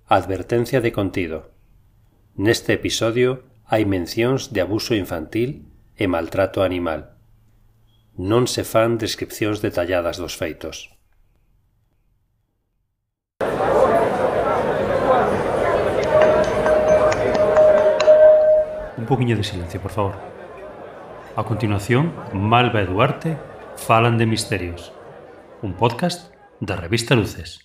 Advertencia de contido. Neste episodio hai mencións de abuso infantil e maltrato animal. Non se fan descripcións detalladas dos feitos. Un poquinho de silencio, por favor. A continuación, Malva e Duarte falan de misterios. Un podcast da revista Luces.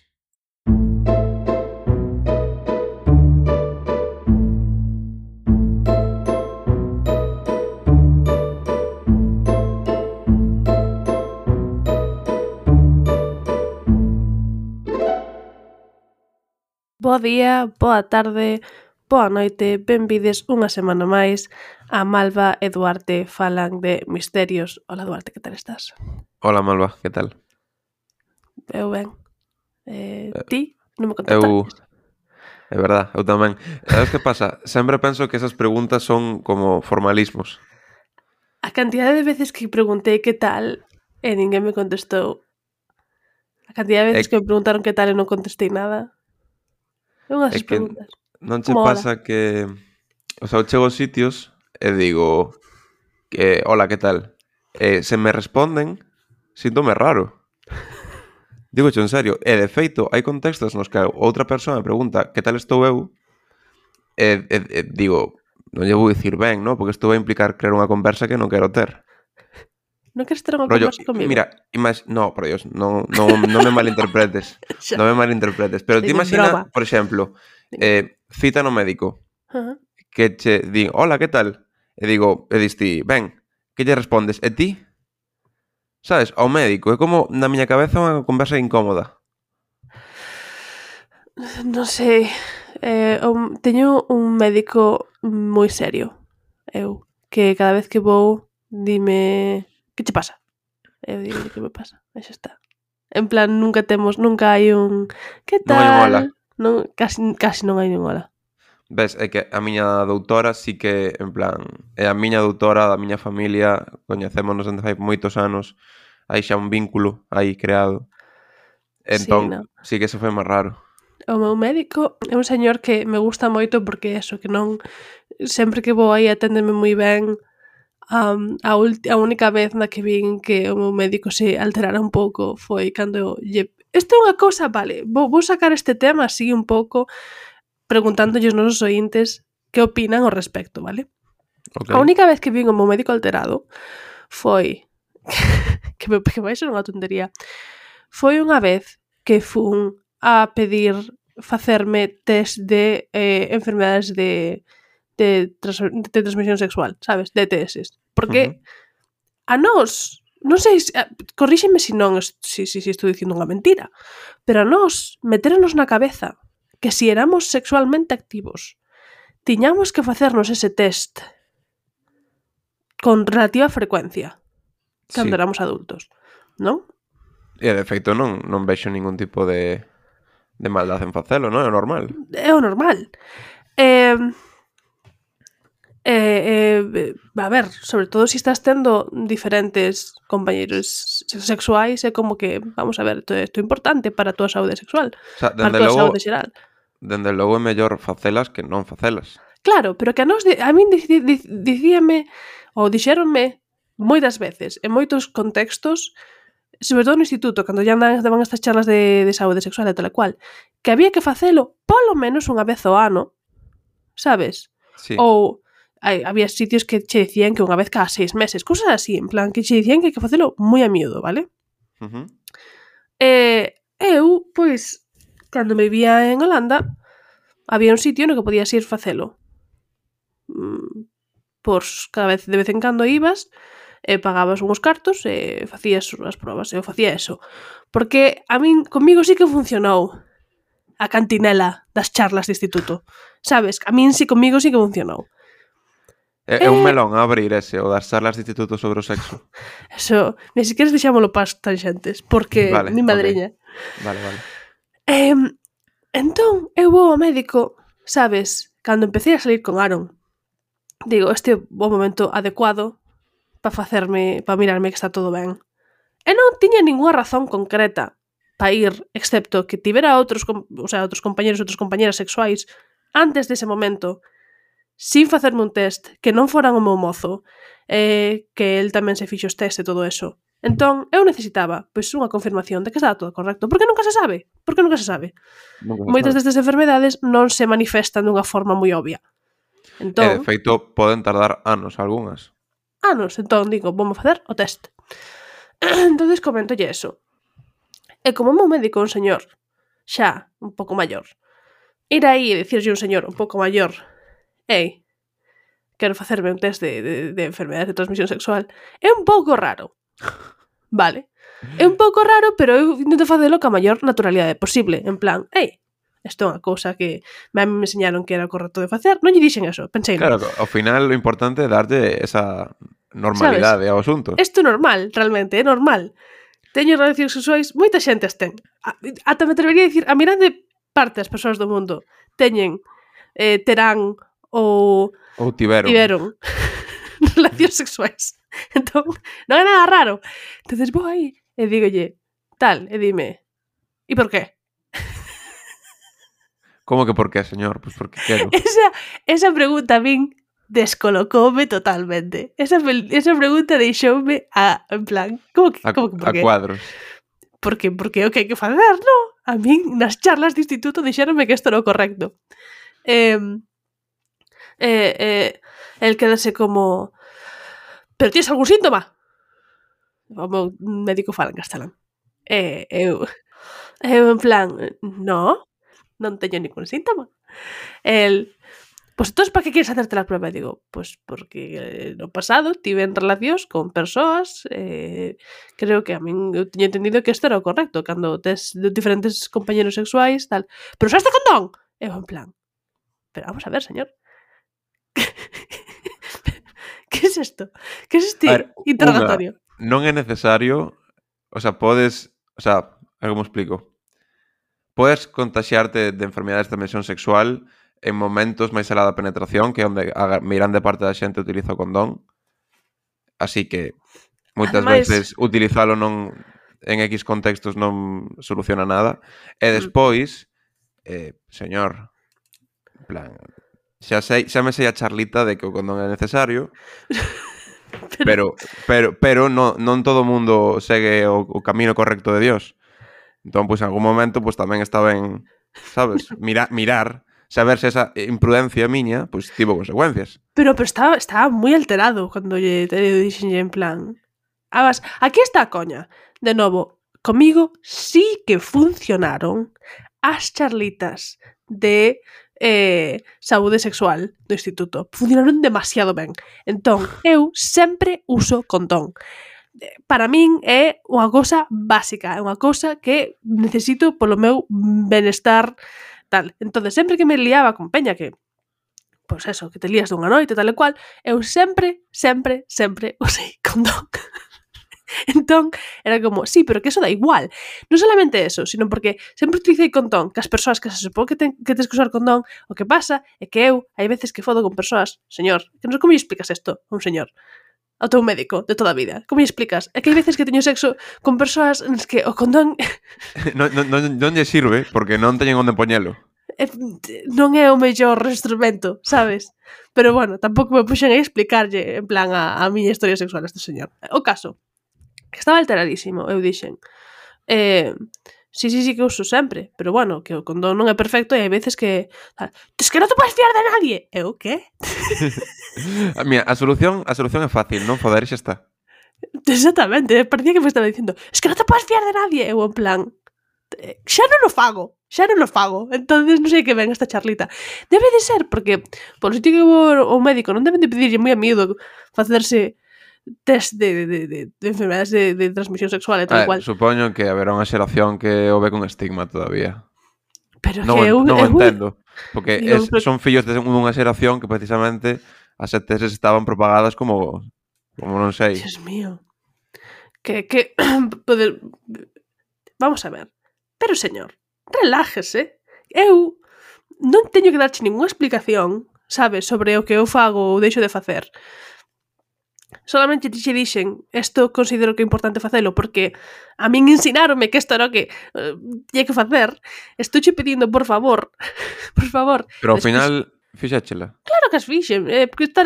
Bo día, boa tarde, boa noite, benvides unha semana máis a Malva e Duarte falan de misterios. Hola Duarte, que tal estás? Hola Malva, que tal? Eu ben. Ti? Non me contestaste? É verdad, eu tamén. Sabes que pasa? Sempre penso que esas preguntas son como formalismos. A cantidade de veces que preguntei que tal e ninguén me contestou. A cantidade de veces que me preguntaron que tal e non contestei nada. É unhas É que preguntas. non che Como pasa que... O sea, eu chego aos sitios e digo que hola, que tal? E se me responden, síntome raro. Digo en serio. E de feito, hai contextos nos que outra persoa me pregunta que tal estou eu e digo, non lle vou dicir ben, non? Porque isto vai implicar crear unha conversa que non quero ter. Non queres ter unha Rollo, conversa comigo? mira, no, por Dios, non me malinterpretes. Xa. Non me malinterpretes. Pero Estoy ti de imagina, broma. por exemplo, cita no médico, Ajá. que che din, hola, que tal? E digo, e dis ti, ben, que lle respondes? E ti? Sabes, ao médico, é como na miña cabeza unha conversa incómoda. Non sei, teño un médico moi serio, eu, que cada vez que vou dime que che pasa? Eu digo que me pasa, e xa está. En plan, nunca hai un que Non hai un tal? hola. Non, casi non hai un hola. Ves, é que a miña doutora sí que, en plan, é a miña doutora da miña familia, coñecémonos dende fai moitos anos, hai xa un vínculo aí creado. Sí, Entón, non. sí que se foi máis raro. O meu médico é un señor que me gusta moito porque eso, que non sempre que vou aí aténdeme moi ben. A única vez na que vin que o meu médico se alterara un pouco foi cando isto é unha cousa, vale, vou sacar este tema así un pouco preguntándolle aos nosos oíntes que opinan ao respecto, vale? Okay. A única vez que vin o meu médico alterado foi que vai ser unha tontería. Foi unha vez que fun a pedir facerme test de enfermedades de transmisión sexual, sabes? DTS. Porque a nós, non sei, corríxeme se non si estou dicindo unha mentira, pero a nós meteronos na cabeza que si éramos sexualmente activos tiñamos que facernos ese test con relativa frecuencia cando Sí. éramos adultos, non? E de feito non vexo ningún tipo de maldad en facelo, non? É normal. É o normal. A ver, sobre todo se estás tendo diferentes compañeiros sexuais, é como que, vamos a ver, isto é importante para a túa saúde sexual, O sea, para a túa saúde xeral. dende logo é mellor facelas que non facelas. Claro, pero que a nós, a min dicíame, ou dixéronme moitas veces, en moitos contextos, sobre todo no instituto, cando ya daban estas charlas de saúde sexual e tal e cual, que había que facelo polo menos unha vez ao ano, sabes? Sí. Ou había sitios que che dicían que unha vez cada 6 meses, cosas así, en plan, que che dicían que hai que facelo moi a miúdo, vale? Uh-huh. Eu, pois, cando me vivía en Holanda, había un sitio no que podías ir facelo. Pois, cada vez, de vez en cando ibas, pagabas uns cartos e facías as probas, eu facía eso. Porque a min, comigo sí que funcionou a cantinela das charlas de instituto. Sabes? A min sí, comigo sí que funcionou. É un melón a abrir ese, o das charlas de instituto sobre o sexo. Eso, ni siquiera deixámoslo para as tangentes, porque Vale, mi madriña. Okay. Vale. Entón, eu vou ao médico, sabes, cando empecé a salir con Aaron, digo, este é o momento adecuado para mirarme que está todo ben. E non tiña ningunha razón concreta para ir, excepto que tivera outros compañeros, outras compañeras sexuais antes dese momento, sin facerme un test, que non foran o meu mozo, que el tamén se fixo os test e todo eso. Entón, eu necesitaba pois unha confirmación de que estaba todo correcto. Porque nunca se sabe. Moitas destas enfermedades non se manifestan dunha forma moi obvia. Entón, de feito, poden tardar anos algunhas. Entón digo, vamos facer o test. Entonces coméntolle eso. E como o meu médico é un señor xa un pouco maior, ir aí e dicirlle un señor un pouco maior, ei, quero facerme un test de enfermedades de transmisión sexual, é un pouco raro. Vale? É un pouco raro, pero eu intento facelo ca maior naturalidade posible. En plan, ei, isto é unha cousa que a mí me enseñaron que era correcto de facer. Non lle dixen eso, pensei. Claro, ao final o importante é darlle esa normalidade ao asunto. Isto é normal, realmente, é normal. Teño relacións sexuais, moita xente as ten. Ata me atrevería a dicir, a mirande parte das persoas do mundo teñen, terán ou tiveron relacións sexuais. Entón, non é nada raro. Entonces vou aí e dígolle tal, e dime, e por qué? Como que por qué, señor? Pois porque quero. Esa pregunta a min descolocoume totalmente. Esa pregunta deixoume en plan, como que por qué? A cuadros. Porque o que hai que facer, no? A min, nas charlas de instituto, dixéronme que isto era o correcto. El quedase como... Pero tienes algún síntoma? O meu médico fala en castelán. Eu en plan, non teño ningún síntoma. Pues entonces, para que quieres hacerte la prueba? E digo, pues porque no pasado tiven relacións con persoas, creo que a min eu teño entendido que isto era o correcto, cando tes diferentes compañeros sexuais, tal. Pero usaste condón? Eu en plan, pero vamos a ver, señor. Que es esto? Que es este interrogatorio? Non é necesario, como explico? Podes contaxiarte de enfermedades de transmisión sexual en momentos máis alá da penetración, que é onde a mirande parte da xente utiliza o condón. Así que moitas veces utilizalo en X contextos non soluciona nada. E despois, señor, en plan, xa me sei a charlita de que o condón é necesario, pero non todo o mundo segue o camino correcto de Dios. Entón, pois, en algún momento, pois tamén está ben, sabes, mirar, saber se esa imprudencia miña, pois, tivo consecuencias. Pero estaba moi alterado cando lle dixenlle en plan... aquí está a coña. De novo, comigo sí que funcionaron as charlitas de saúde sexual do instituto. Funcionaron demasiado ben. Entón, eu sempre uso condón. Para min é unha cousa básica, é unha cousa que necesito polo meu benestar tal. Entón, sempre que me liaba con peña que, pois eso, que te lías dunha noite, tal e cual, eu sempre usei condón. Entón, era como, sí, pero que eso da igual. Non solamente eso, sino porque sempre utilicei condón, que as persoas que se supón que tens que usar condón, o que pasa é que eu, hai veces que fodo con persoas, señor, que non sei como lle explicas isto a un señor, ao teu médico de toda a vida. Como lle explicas? É que hai veces que teño sexo con persoas nas que o condón... non lle sirve, porque non teñen onde poñelo. Non é o mellor instrumento, sabes? Pero bueno, tampouco me puxen a explicarlle en plan a miña historia sexual a este señor. O caso, que estaba alteradísimo, eu dixen sí que uso sempre, pero bueno, que o condón non é perfecto e hai veces que es que non te podes fiar de nadie. Eu, que? Mira, a solución é fácil, non foder, xa está. Exactamente, parecía que me estaba dicindo es que non te podes fiar de nadie. Eu en plan, xa non o fago. Entonces non sei que ven esta charlita. Debe de ser, porque polo sitio que vou ao médico non deben de pedirlle moi a miúdo facerse test de enfermedades de transmisión sexual e tal cual. Supoño que haberá unha xeración que o ve con estigma todavía. Pero non que eu entendo, porque son fillos de unha xeración que precisamente as ETS estaban propagadas como non sei. Dios mío. Que vamos a ver. Pero señor, relájese. Eu non teño que darche ningunha explicación, sabes, sobre o que eu fago ou deixo de facer. solamente te dixen isto considero que é importante facelo porque a min ensinaronme que isto era o que tiña que facer, estouche pedindo por favor Pero ao despois, final, fixéchela. claro que as fixen, porque está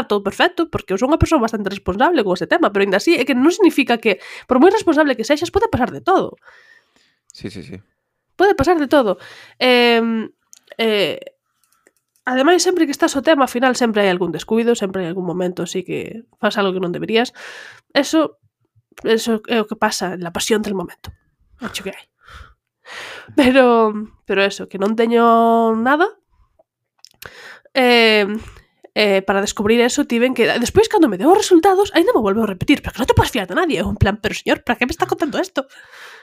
todo perfecto, porque eu son unha persoa bastante responsable con ese tema, pero ainda así é que non significa que por moi responsable que sexas pode pasar de todo. Sí. Pode pasar de todo. Ademais, sempre que estás o tema, ao final sempre hai algún descuido, sempre hai algún momento así que fas algo que non deberías. Eso é o que pasa en la pasión del momento. Acho que hai. Pero eso, que non teño nada. Para descubrir eso tiven que... Despois, cando me deu os resultados, ainda me volveu a repetir, pero que non te podes fiar de nadie. É un plan, pero señor, para que me está contando esto?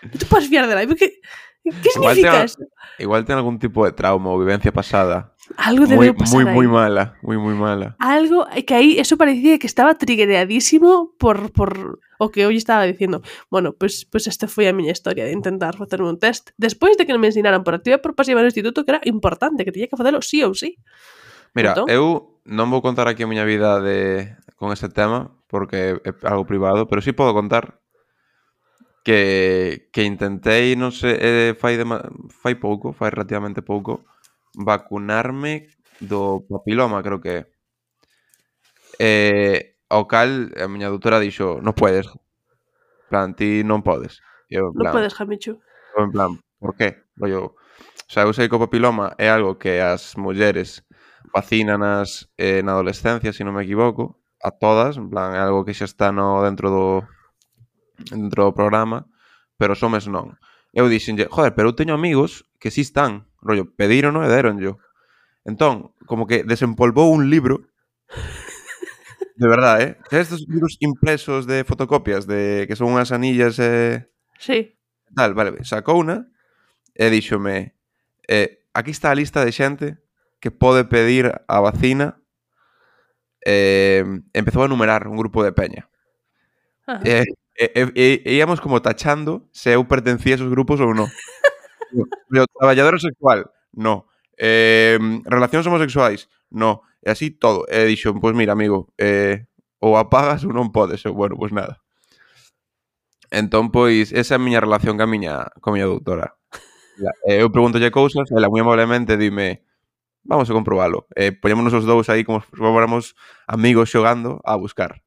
Non te podes fiar de nadie, porque... Que significa eso? Igual ten algún tipo de trauma ou vivencia pasada. Algo debeu pasar aí. Moi mala. Algo que aí, eso parecía que estaba triggeradísimo por o que hoy estaba dicindo. Bueno, pues esta foi a miña historia de intentar facerme un test. Despois de que me ensinaran por activa e por pasiva no instituto que era importante, que tiña que facelo sí ou sí. Mira, Entón, eu non vou contar aquí a miña vida con este tema, porque é algo privado, pero sí podo contar que intentei, non sei, fai relativamente pouco, vacunarme do papiloma, creo que ao cal a miña doutora dixo, non podes. En plan, ti non podes. Eu, non podes, Jamichu. en plan, por qué? Rollo, o sea, eu sei que o papiloma é algo que as mulleres vacínanas na adolescencia, se non me equivoco, a todas, en plan, é algo que xa está dentro do programa, pero os homes non. Eu dixenlle, joder, pero eu teño amigos que sí están, rollo, pedírono e déronllo. Entón, como que desempolvou un libro, de verdade, estes libros impresos de fotocopias, que son unhas anillas Sí. tal, vale, sacou unha e díxome, aquí está a lista de xente que pode pedir a vacina. Empezou a numerar un grupo de peña. Íamos como tachando se eu pertencía a esos grupos ou non. Traballadora sexual, no. Relacións homosexuais, no. E así todo. E dixo, pois mira, amigo, ou apagas ou non podes. Eu, bueno, pois nada. Entón, pois, esa é a miña relación ca miña doutora. Eu pregúntolle cousas, ela moi amablemente dime, vamos a comprobalo. Poñémonos os dous aí como se fóramos amigos xogando a buscar.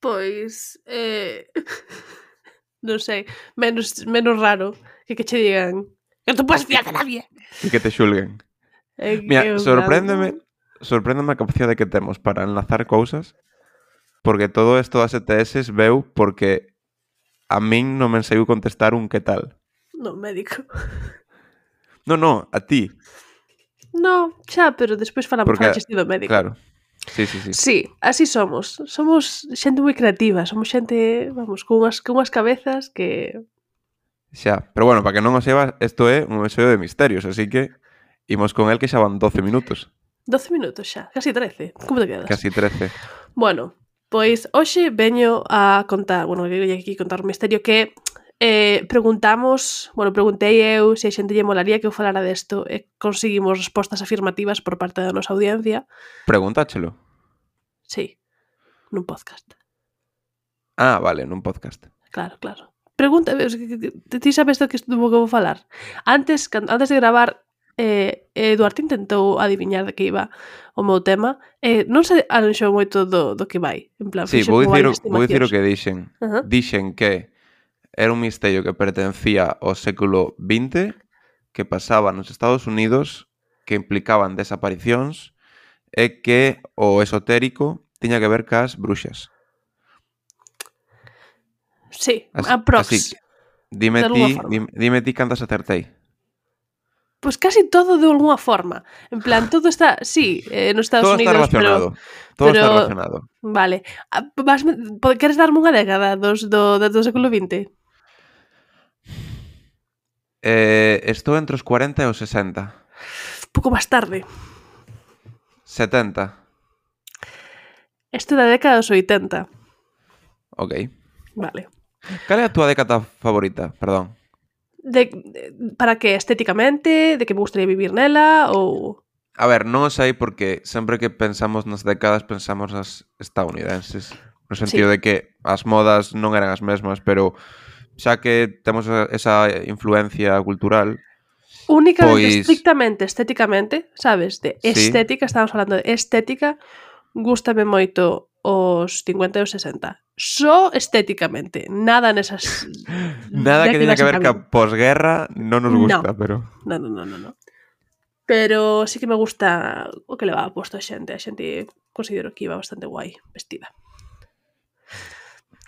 Pois, non sei, menos raro que che digan que non te podes fiar de nadie. E que te xulguen. Mira, sorpréndeme a capacidade que temos para enlazar cousas, porque todo isto das ETS veu porque a min non me ensaiu contestar un que tal. No, médico. No, a ti. No, xa, pero despois falamos do médico. Claro. Sí. Sí, así somos. Somos xente moi creativa, somos xente, vamos, con unhas cabezas que... Xa, pero bueno, para que non o sebas, isto é un episodio de misterios, así que imos con el que xa van 12 minutos. 12 minutos xa, casi 13. Como te quedas? Casi 13. Bueno, pois hoxe veño a contar, bueno, eu aquí contar un misterio que preguntei eu se a xente lle molaría que eu falara desto e conseguimos respostas afirmativas por parte da nosa audiencia. Preguntáchelo. Sí, nun podcast. Ah, vale, nun podcast. Claro. Pregunta, ti sabes do que vou falar? Antes de gravar, Eduardo intentou adiviñar de que iba o meu tema, non se arranxou moito do que vai. En plan, sí, vou dicir o que dixen. Dixen que era un misterio que pertencía ao século XX, que pasaba nos Estados Unidos, que implicaban desaparicións e que o esotérico tiña que ver cas bruxas. Sí, aprox. Así, dime ti cantas acertei. Pois casi todo de alguna forma. En plan, todo está, sí, nos Estados Unidos, todo está relacionado. Vale. Queres darme unha década do século XX? Estou entre os 40 e os 60. Pouco máis tarde. 70. Isto da década dos 80. Ok. Vale. Cal é a túa década favorita? Perdón. Para que estéticamente? De que me gustaría vivir nela? Ou... A ver, non o sei porque sempre que pensamos nas décadas pensamos nas estadounidenses. No sentido de que as modas non eran as mesmas, pero xa que temos esa influencia cultural, Únicamente, pois estrictamente, estéticamente, sabes? De sí, estética, estamos falando de estética, gústame moito os 50 e os 60. Só estéticamente, nada nesas nada que teña décadas que ver entran ca posguerra non nos No. gusta, pero No. Pero sí que me gusta o que levaba posto a xente. A xente considero que iba bastante guai vestida.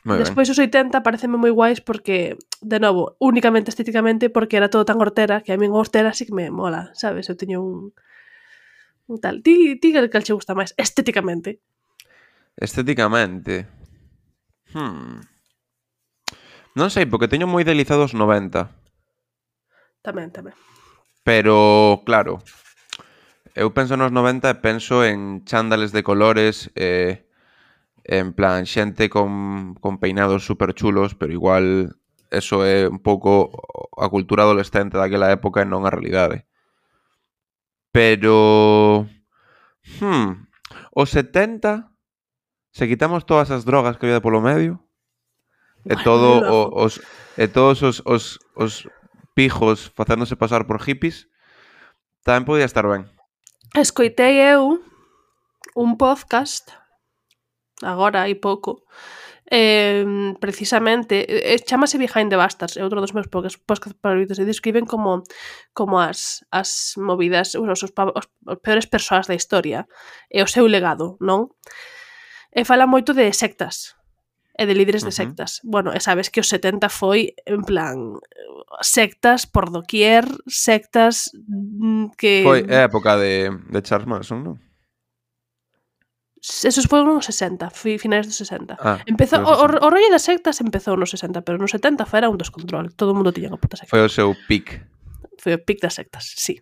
moi ben. Despois os 80 pareceme moi guais porque, de novo, únicamente estéticamente porque era todo tan hortera que a min hortera sí que me mola, sabes? Eu teño un tal. Ti que che gusta máis estéticamente. Estéticamente, non sei, porque teño moi idealizados 90. Tamén. Pero, claro, eu penso nos 90 e penso en chándales de colores, en plan, xente con peinados super chulos, pero igual eso é un pouco a cultura adolescente daquela época e non a realidade. Pero, os 70, se quitamos todas as drogas que había polo medio, e Bueno, todo moi loco. todos os pijos facéndose pasar por hippies, tamén podía estar ben. Escoitei eu un podcast agora hai pouco precisamente chámase Behind the Bastards, é outro dos meus podcast favoritos, e describen como as movidas, os peores persoas da historia e o seu legado, non? E fala moito de sectas e de líderes de sectas. Bueno, e sabes que os 70 foi en plan sectas por doquier, sectas que Foi a época de Charles Manson, non? esos foron nos 60, finais dos 60. Ah, Empezou foi os 60. o rollo das sectas empezou nos 60, pero nos 70 era un descontrol. Todo o mundo tiña unha puta secta. Foi o seu pic. Foi o pic das sectas, sí.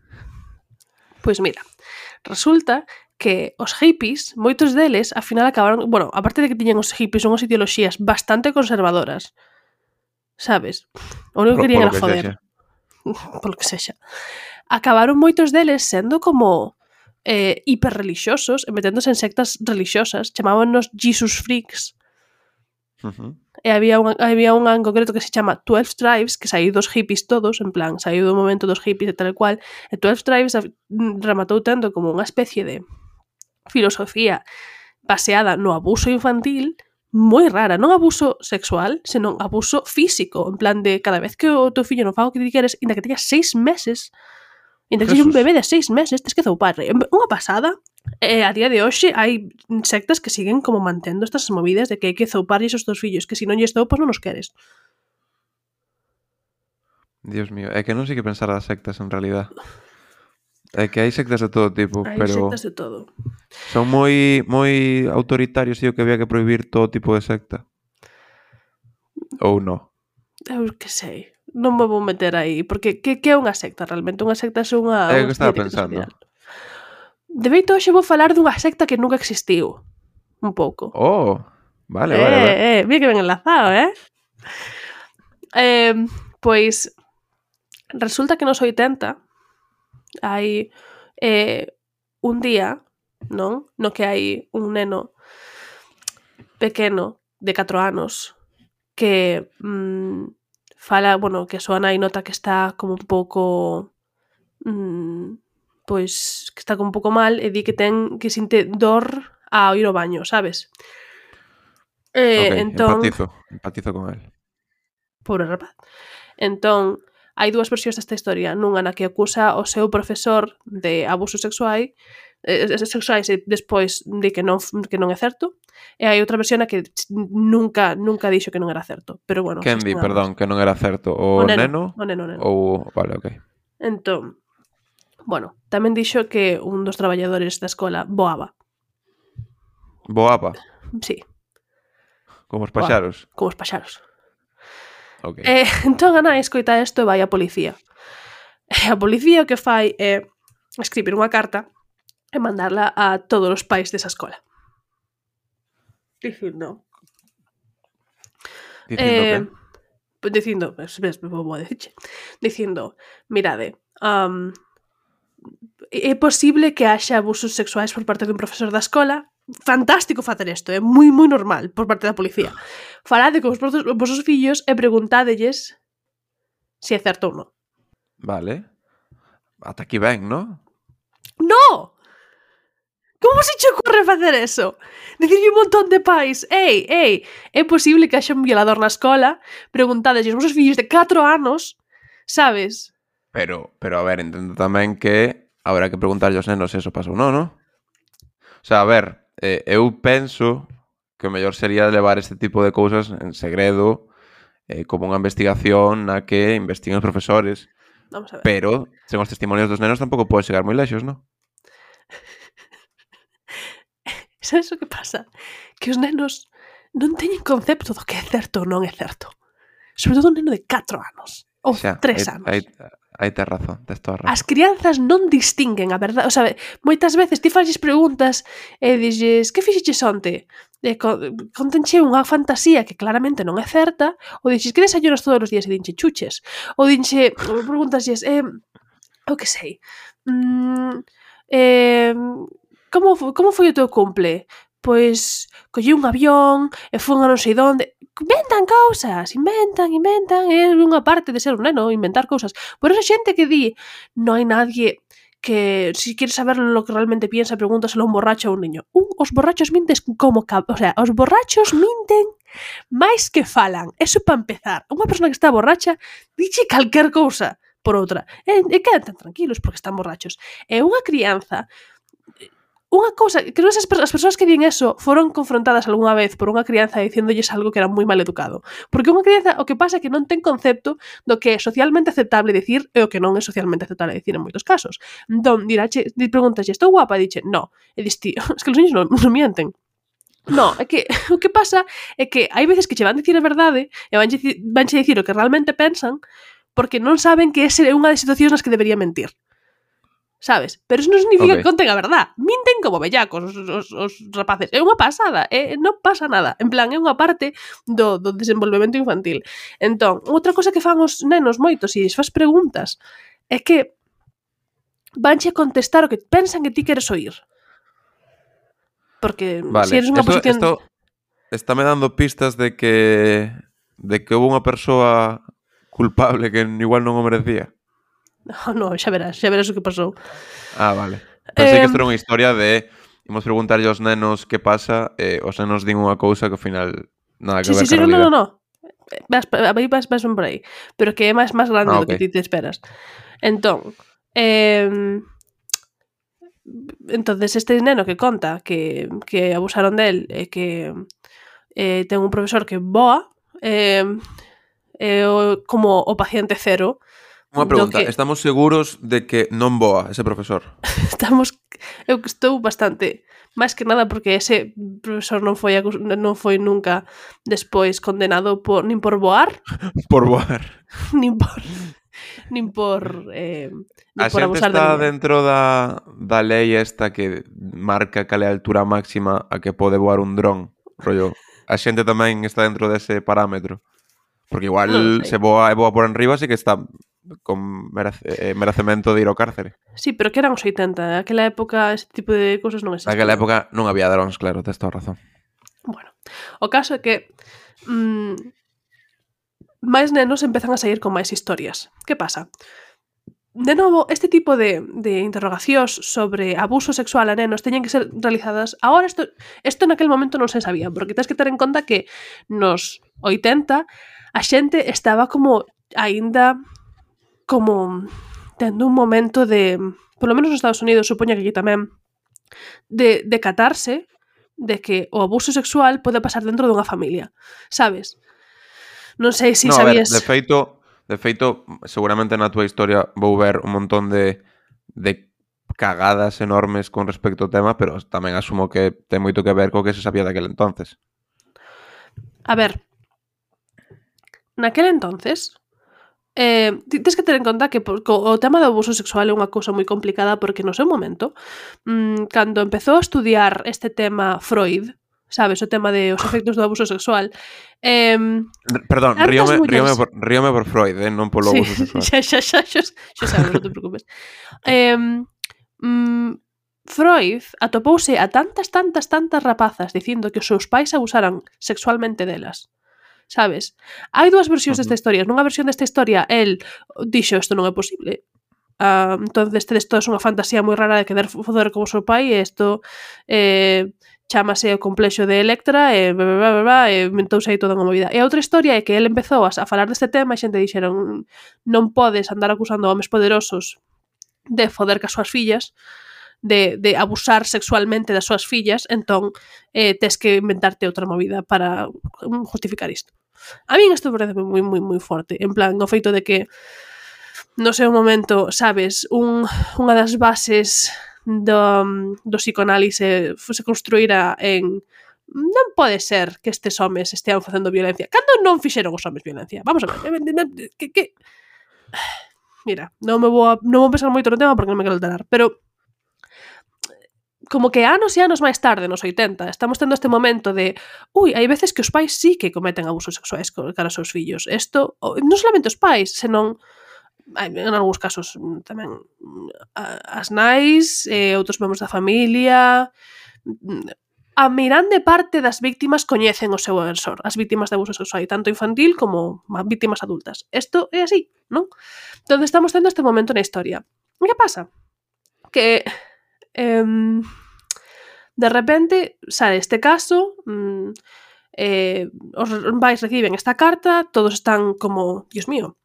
Pois mira, resulta que os hippies, moitos deles, ao final acabaron... Bueno, aparte de que tiñan os hippies unhas ideoloxías bastante conservadoras, sabes? O único que querían era foder. Polo que sexa. Acabaron moitos deles sendo como hiperrelixiosos e meténdose en sectas religiosas. Chamábanos Jesus Freaks. E había unha en concreto que se chama 12 Tribes, que saiu dos hippies todos, en plan, saiu do momento dos hippies e tal e cual, e 12 Tribes rematou tendo como unha especie de filosofía baseada no abuso infantil moi rara, non abuso sexual, senón abuso físico, en plan de cada vez que o teu fillo non faga o que ti queres, inda que teñas 6 meses, inda que sexa un bebé de 6 meses, tens que zoupar. Unha pasada. A día de hoxe hai sectas que siguen como mantendo estas movidas de que hai que zouparlles os teus fillos, que se non lles zoupas non os queres. Dios mío, é que non sei que pensar das sectas en realidad. É que hai sectas de todo tipo, Hai pero sectas de todo. son moi autoritarios e o que había que prohibir todo tipo de secta. Ou non? Eu que sei. Non me vou meter aí, porque que é unha secta realmente? Unha secta é unha... É o que estaba pensando. De feito, hoxe vou falar dunha secta que nunca existiu. Un pouco. Oh, vale. Mira que ben enlazado, Pois, resulta que nos 80 hai un día, non? No que hai un neno pequeno de 4 anos que fala, bueno, que a súa nai nota que está como un pouco pois que está como un pouco mal e di que que sinte dor ao ir ao baño, sabes? Ok, entón, empatizo con él. pobre rapaz. Entón, hai dúas versións desta historia, nunha na que acusa o seu profesor de abusos sexuais e despois di que non é certo, e hai outra versión na que nunca dixo que non era certo, pero bueno, Quen di, perdón, que non era certo? O neno? O neno. Ou... Vale, ok. Entón, bueno, tamén dixo que un dos traballadores da escola voaba. Voaba? Sí. Como os paxaros? Como os paxaros. Ok. Entón a nai escoita isto e vai á policía. E a policía o que fai é escribir unha carta e mandarla a todos os pais desa escola. Dicindo que? Dicindo, mirade, é posible que haxa abusos sexuais por parte dun profesor da escola. Fantástico facer isto, é moi normal por parte da policía. Falade con os vosos fillos e preguntádelles se é certo ou non. Vale. Ata aquí ben, ¿no? No! Como se che ocorre facer eso? Dicirlle un montón de pais, ei, é posible que haxa un violador na escola, preguntádelles aos vosos fillos de 4 anos, sabes? Pero a ver, entendo tamén que habrá que preguntarlle aos nenos se eso pasou, non? O sea, a ver, eu penso que o mellor sería levar este tipo de cousas en segredo, como unha investigación na que investiguen os profesores. Vamos a ver. Pero, sen os testimonios dos nenos, tampouco pode chegar moi lexos, non? Sabes o que pasa? Que os nenos non teñen concepto do que é certo ou non é certo. Sobre todo un neno de 4 anos. Ou 3 anos. Aí tes razón, tes toda razón. As crianzas non distinguen a verdade. O sea, moitas veces ti faxes preguntas e dixes, que fixeches onte? Contenche unha fantasía que claramente non é certa, ou dixes, que desayunas todos os días e dinche chuches? Ou dinche, preguntasles, o que sei, como foi o teu cumple? Pois collí un avión e fun a non sei onde. Inventan cousas, inventan, é unha parte de ser un neno, inventar cousas. Por esa xente que di, non hai nadie que, si quieres saber lo que realmente piensa, pregúntaselo a un borracho ou un niño. Os borrachos minten como... O sea, os borrachos minten máis que falan. Eso para empezar. Unha persona que está borracha dixe calquer cousa por outra. E quedan tan tranquilos porque están borrachos. E unha crianza... Unha cousa, creo que as persoas que din eso foron confrontadas algunha vez por unha crianza dicéndolles algo que era moi mal educado. Porque unha crianza o que pasa é que non ten concepto do que é socialmente aceptable dicir e o que non é socialmente aceptable dicir en moitos casos. Entón, preguntas, estou guapa? E dixe, no. E dis, tío, es que os niños non mienten. No, é que o que pasa é que hai veces que che van dicir a verdade e vanche dicir o que realmente pensan porque non saben que esa é unha das situacións nas que debería mentir. Sabes? Pero eso non significa que conten a verdad. Minten como bellacos os rapaces. É unha pasada. Non pasa nada. En plan, é unha parte do desenvolvemento infantil. Entón, outra cosa que fan os nenos moitos e fas preguntas é que vanche contestar o que pensan que ti queres oír. Porque vale. si eres unha posición... Esto está me dando pistas de que houve unha persoa culpable que igual non o merecía. No, xa verás o que pasou. Ah, vale. Pensei que isto era unha historia de imos preguntarlle aos nenos que pasa e os nenos din unha cousa que ao final nada que ver con a realidade. No. Vas por aí. Pero que é máis grande do que ti te esperas. Entón, entonces este neno que conta que abusaron del e que ten un profesor que boa como o paciente cero. Unha pregunta, estamos seguros de que non boa ese profesor? Eu estou bastante, máis que nada porque ese profesor non foi nunca despois condenado nin por boar. Por boar. nin por a xente está dentro da lei esta que marca cal é a altura máxima a que pode voar un dron, rollo. A xente tamén está dentro dese parámetro. Porque igual se voa por enriba sí que está con merecemento de ir ao cárcere. Sí, pero que eran os 80. Naquela época ese tipo de cousas non existían. Naquela época non había drons, claro, tes toda razón. Bueno, o caso é que máis nenos empezan a sair con máis historias. Que pasa? De novo, este tipo de interrogacións sobre abuso sexual a nenos teñen que ser realizadas. Agora, isto naquele momento non se sabía, porque tens que ter en conta que nos 80 a xente estaba como aínda como tendo un momento de, polo menos nos Estados Unidos, supoño que aquí tamén, de catarse de que o abuso sexual pode pasar dentro dunha familia, sabes? Non sei se sabías... A ver, de feito, seguramente na túa historia vou ver un montón de cagadas enormes con respecto ao tema, pero tamén asumo que ten moito que ver co que se sabía daquele entonces. A ver, naquele entonces... tens que ter en conta que o tema do abuso sexual é unha cousa moi complicada porque no seu momento cando empezou a estudiar este tema Freud, sabes, o tema de os efectos do abuso sexual perdón, ríome por Freud, non polo abuso sexual. Xa sabes, non te preocupes. Freud atopouse a tantas rapazas dicindo que os seus pais abusaran sexualmente delas. Sabes? Hai dúas versións desta historia. Nunha versión desta historia, el dixo isto non é posible. Entonces tedes toda unha fantasía moi rara de querer foder como o seu pai e isto chámase o complexo de Electra e inventouse aí toda unha movida. E a outra historia é que el empezou a falar deste tema e xente dixeron non podes andar acusando a homes poderosos de foder cas súas fillas, de abusar sexualmente das súas fillas, entón tes que inventarte outra movida para justificar isto. A min isto parece moi forte, en plan, o feito de que no seu momento, sabes, unha das bases do psicoanálise se construíra en non pode ser que estes homes estean facendo violencia. Cando non fixeron os homes violencia? Vamos a ver, que... Mira, non vou pensar moito no tema porque non me quero alterar, pero como que anos e anos máis tarde, nos 80, estamos tendo este momento de hai veces que os pais sí que cometen abusos sexuais cara aos seus fillos. Isto, non solamente os pais, senón en algúns casos tamén as nais, outros membros da familia. A mirande parte das víctimas coñecen o seu agresor, as víctimas de abuso sexual, tanto infantil como víctimas adultas. Isto é así, non? Entón estamos tendo este momento na historia. E que pasa? Que de repente sale este caso, os pais reciben esta carta, todos están como, Dios mío,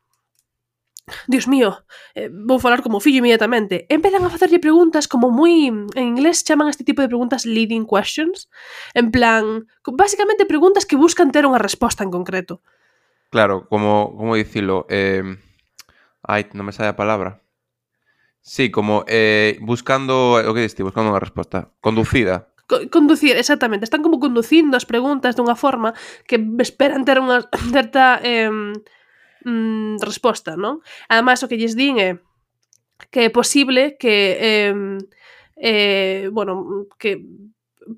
vou falar como fillo inmediatamente. Empezan a facerlle preguntas como moi, en inglés chaman este tipo de preguntas leading questions, en plan, básicamente preguntas que buscan ter unha resposta en concreto. Claro, como dicilo, non me sae a palabra. Sí, como buscando, o que diste, buscando unha resposta. Conducida. Conducir, exactamente. Están como conducindo as preguntas dunha forma que esperan ter unha certa resposta, non? Ademais, o que lles din é que é posible que que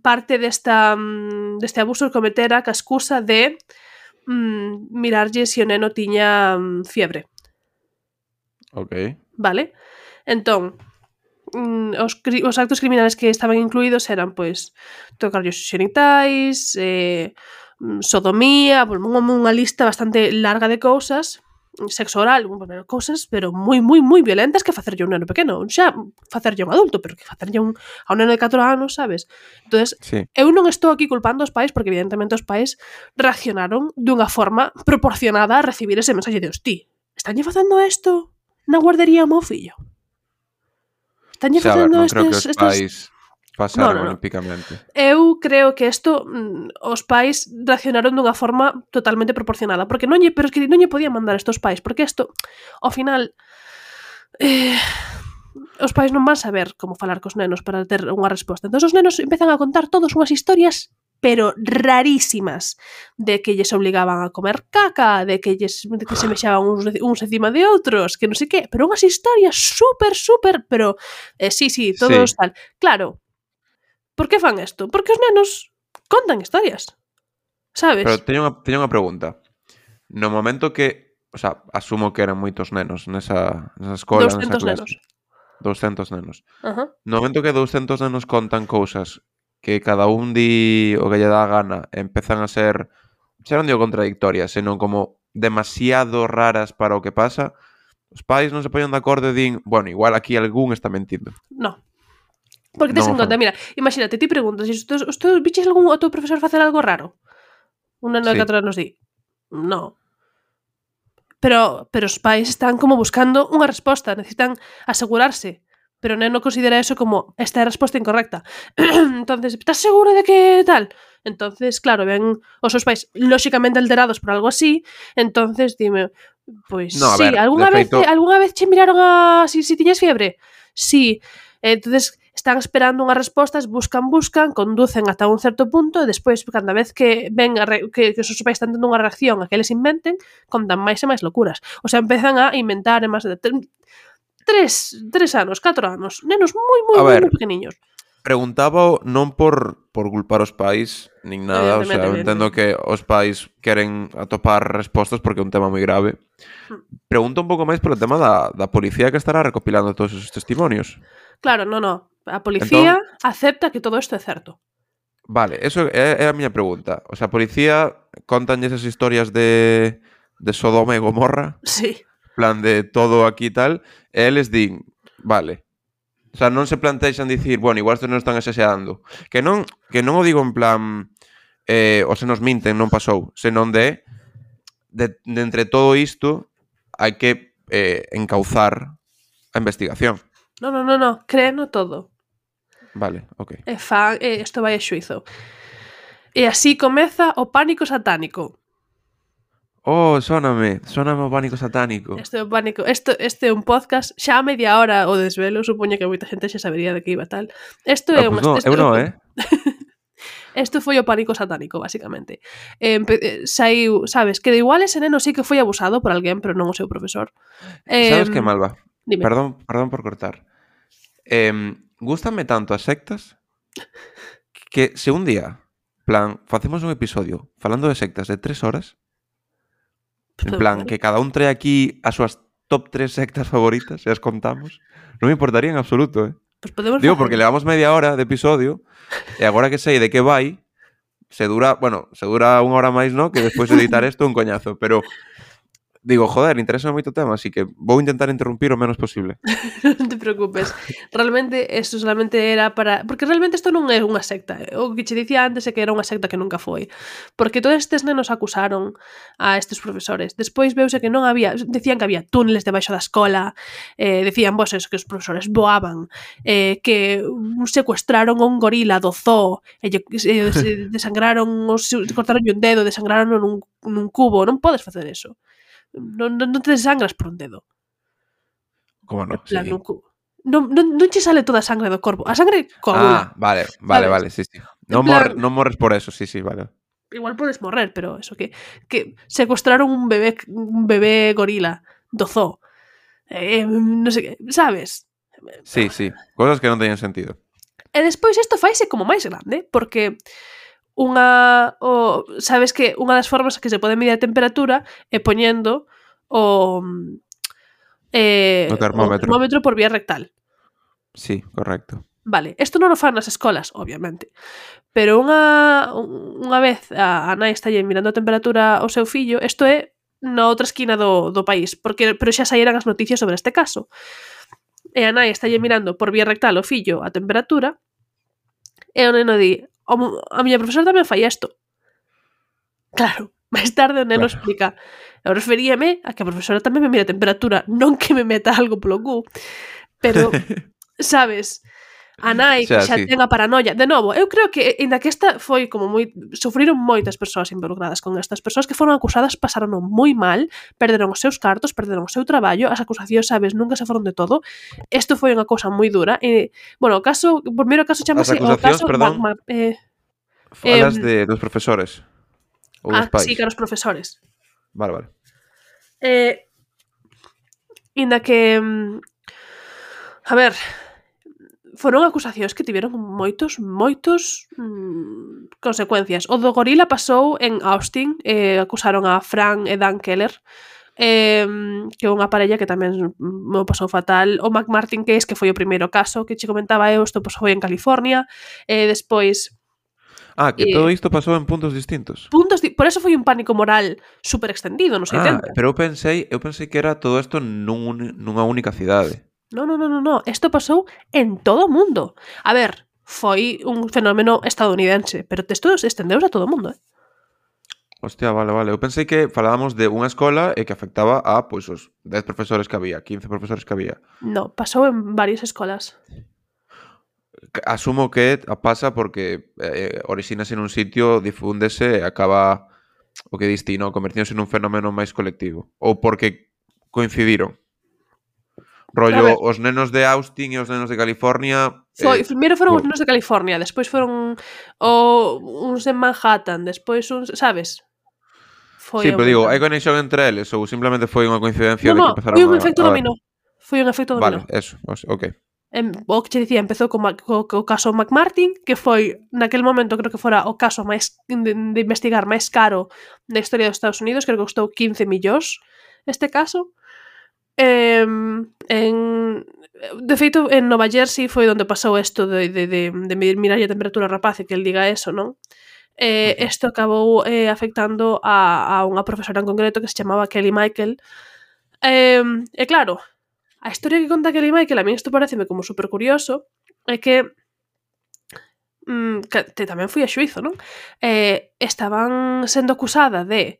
parte deste abuso cometera ca excusa de mirarlle se o neno tiña fiebre. Ok. Vale? Entón, os actos criminales que estaban incluídos eran, pois, tocarlle os xenitais, sodomía, unha lista bastante larga de cousas, sexo oral, cousas, pero moi violentas que facerlle a un neno pequeno. Xa facerlle a un adulto, pero que facerlle a un neno de 4 anos, sabes? Entonces, sí. Eu non estou aquí culpando os pais, porque evidentemente os pais reaccionaron dunha forma proporcionada a recibir ese mensaxe de hostí, estanlle facendo isto na guardería ao meu fillo? Estanlle facendo non creo que os pais pasaron olímpicamente. Eu creo que isto os pais reaccionaron dunha forma totalmente proporcionada, porque non lle podían mandar estos pais, porque isto, ao final, os pais non van saber como falar cos nenos para ter unha resposta. Entón os nenos empezan a contar todos unhas historias pero rarísimas, de que lles obligaban a comer caca, de que se mexaban uns encima de outros, que non sei que, pero unhas historias super, pero sí, todos tal. Claro, por que fan isto? Porque os nenos contan historias, sabes? Pero teño unha pregunta. No momento que, o sea, asumo que eran moitos nenos nesa escola, nesa clase. 200 nenos. No momento que 200 nenos contan cousas que cada un di o que lle dá a gana, empezan a ser, xa non digo contradictorias, senón como demasiado raras para o que pasa, os pais non se poñen de acordo e din, bueno, igual aquí algún está mentindo. No. Porque tes en conta, mira, imagínate, ti preguntas, viches algún outro profesor facer algo raro? Un neno de 4 anos di, no. Pero os pais están como buscando unha resposta, necesitan asegurarse. Pero o neno considera eso como esta é a resposta incorrecta. Entonces, estás seguro de que tal? Entonces, claro, ven os seus pais lóxicamente alterados por algo así, entonces dime, pois no, sí, ver, algunha vez che miraron si tiñas fiebre? Sí. Entonces, están esperando unhas respostas, buscan, conducen ata un certo punto e despois, cada vez que ven que os seus pais están tendo unha reacción a que eles inventen, contan máis e máis locuras. O sea, empezan a inventar e máis de 3 anos, 4 anos, nenos moi pequeniños. Preguntaba non por culpar os pais nin nada, o sea, entendo que os pais queren atopar respostas porque é un tema moi grave. Pregunto un pouco máis polo tema da policía que estará recopilando todos esos testimonios. Claro, no. A policía acepta que todo isto é certo. Vale, eso é a miña pregunta. O sea, a policía contan esas historias de Sodoma e Gomorra, Sí. plan de todo aquí e tal, e eles din, vale. O sea, non se plantexan dicir, bueno, igual estes non están exagerando. Que non o digo en plan o se nos minten, non pasou, senón de entre todo isto hai que encauzar a investigación. No, créeno todo. Vale, ok. Isto vai a xuizo. E así comeza o pánico satánico. Oh, sóname o pánico satánico. Este é un podcast xa a media hora o desvelo, supoño que moita xente xa sabería de que iba tal. Isto é Isto foi o pánico satánico, basicamente. Saiu, sabes, que de igual ese neno sí que foi abusado por alguén, pero non o seu profesor. Sabes que, Malva? Dime. Perdón por cortar. Gústame tanto as sectas que se un día, plan, facemos un episodio falando de sectas de 3 horas, en plan, que cada un trae aquí as súas top 3 sectas favoritas e as contamos, non me importaría en absoluto, Pues podemos Digo, porque levamos media hora de episodio e agora que sei de que vai, se dura 1 hora máis, no? Que despois de editar isto un coñazo, pero digo, joder, interesa moito o tema, así que vou intentar interrumpir o menos posible. Non te preocupes. Realmente, isto solamente era para... Porque realmente isto non é unha secta. O que che dicía antes é que era unha secta que nunca foi. Porque todos estes nenos acusaron a estes profesores. Despois veuse que non había... Decían que había túneles debaixo da escola. Decían, vos, eso, que os profesores voaban. Que secuestraron a un gorila do zoo. Desangraron... Cortaron un dedo, desangraron nun cubo. Non podes facer eso. Non te desangras por un dedo. Como non? Plan, Sí. Non che sale toda a sangre do corpo. A sangre coagula. Vale, sí. Non morres por eso, sí, vale. Igual podes morrer, pero eso que secuestraron un bebé gorila do zoo. Non sei que, sabes? Sí, cosas que non teñen sentido. E despois isto faise como máis grande, porque sabes que unha das formas que se pode medir a temperatura é poñendo o termómetro por vía rectal. Sí, correcto. Vale, isto non o fan nas escolas, obviamente. Pero unha vez a nai está mirando a temperatura ao seu fillo, isto é na outra esquina do país, pero xa saíran as noticias sobre este caso. E a nai está mirando por vía rectal ao fillo a temperatura, e o neno di, a miña profesora tamén fai isto. Claro, máis tarde o neno explica, eu referíame a que a profesora tamén me mira a temperatura, non que me meta algo polo cu. Pero, sabes, a nai que xa ten a paranoia. De novo, eu creo que ainda que esta foi como sufriron moitas persoas involucradas con estas persoas que foron acusadas, pasaron moi mal, perderon os seus cartos, perderon o seu traballo, as acusacións, sabes, nunca se foron de todo. Isto foi unha cousa moi dura. Bueno, o primeiro caso chamase o caso Falas dos profesores ou dos pais? Sí, que os profesores. Vale. Inda que a ver, foron acusacións que tiveron moitos consecuencias. O do gorila pasou en Austin, acusaron a Frank e Dan Keller, que é unha parella que tamén me pasou fatal. O McMartin Case, que foi o primeiro caso que che comentaba eu, isto foi en California, despois... que todo isto pasou en puntos distintos. Por eso foi un pánico moral super extendido nos 80. Pero eu pensei que era todo isto nunha única cidade. No. Isto pasou en todo o mundo. A ver, foi un fenómeno estadounidense, pero isto estendeus a todo o mundo, Hostia, vale. Eu pensei que falábamos de unha escola e que afectaba a, pois, os 10 profesores que había, 15 profesores que había. No, pasou en varias escolas. Asumo que pasa porque orixínase nun sitio, difúndese e acaba o que diste, non? Convertíndose nun fenómeno máis colectivo. Ou porque coincidiron. Rollo, os nenos de Austin e os nenos de California... Primeiro foron os nenos de California, despois foron uns de Manhattan, despois uns, sabes? Sí, pero digo, hai conexión entre eles ou simplemente foi unha coincidencia de que empezaron foi un efecto dominó. Foi un efecto dominó. Vale, eso, ok. O que che dicía, empezou co caso McMartin, que foi, naquel momento, creo que fora o caso máis de investigar máis caro na historia dos Estados Unidos, creo que costou 15 millóns este caso. De feito, en Nova Jersey foi onde pasou isto de mirar a temperatura rapaz e que el diga eso, non? Isto acabou afectando a unha profesora en concreto que se chamaba Kelly Michael. E claro, a historia que conta Kelly Michael, a mí isto pareceme como super curioso, é que tamén foi a xuizo, non? Estaban sendo acusada de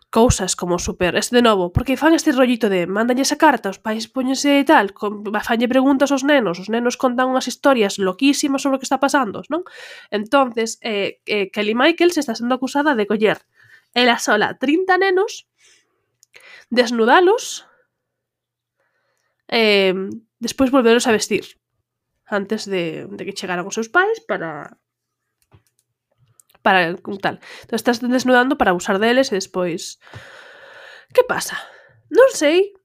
cousas como super, de novo, porque fan este rollito de mandanlle esa carta, os pais póñense e tal, fanlle preguntas aos nenos contan unhas historias loquísimas sobre o que está pasando, non? Entonces, Kelly Michael se está sendo acusada de coller ela sola 30 nenos, desnudalos, despois volveros a vestir antes de que chegaran os seus pais para tal. Entón estás desnudando para abusar deles e despois... Que pasa? Non sei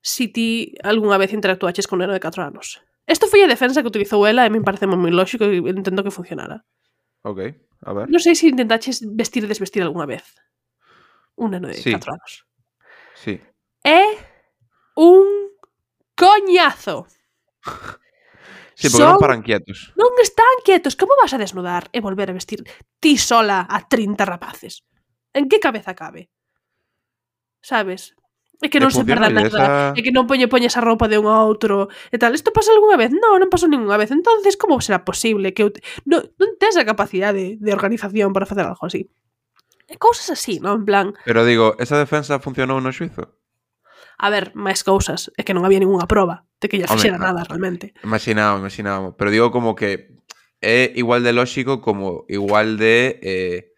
se ti algunha vez interactuaches con un neno de 4 anos. Isto foi a defensa que utilizou ela e me parece moi lógico e entendo que funcionara. Ok, a ver. Non sei se intentaches vestir e desvestir algunha vez un neno de 4 anos. Sí. É un coñazo. Sí, porque non paran quietos. Non están quietos. Como vas a desnudar e volver a vestir ti sola a 30 rapaces? En que cabeza cabe? Sabes? É que non se perda nada. É que non poñes a roupa de un a outro e tal. Isto pasa algunha vez? Non pasou ninguna vez. Entonces, como será posible que non tes a capacidade de organización para facer algo así? E cousas así, non? En plan... Pero digo, esa defensa funcionou no xuizo? A ver, máis cousas. É que non había ningunha proba de que ella fixera nada, realmente. Imaginábamos. Pero digo como que é igual de lógico como igual de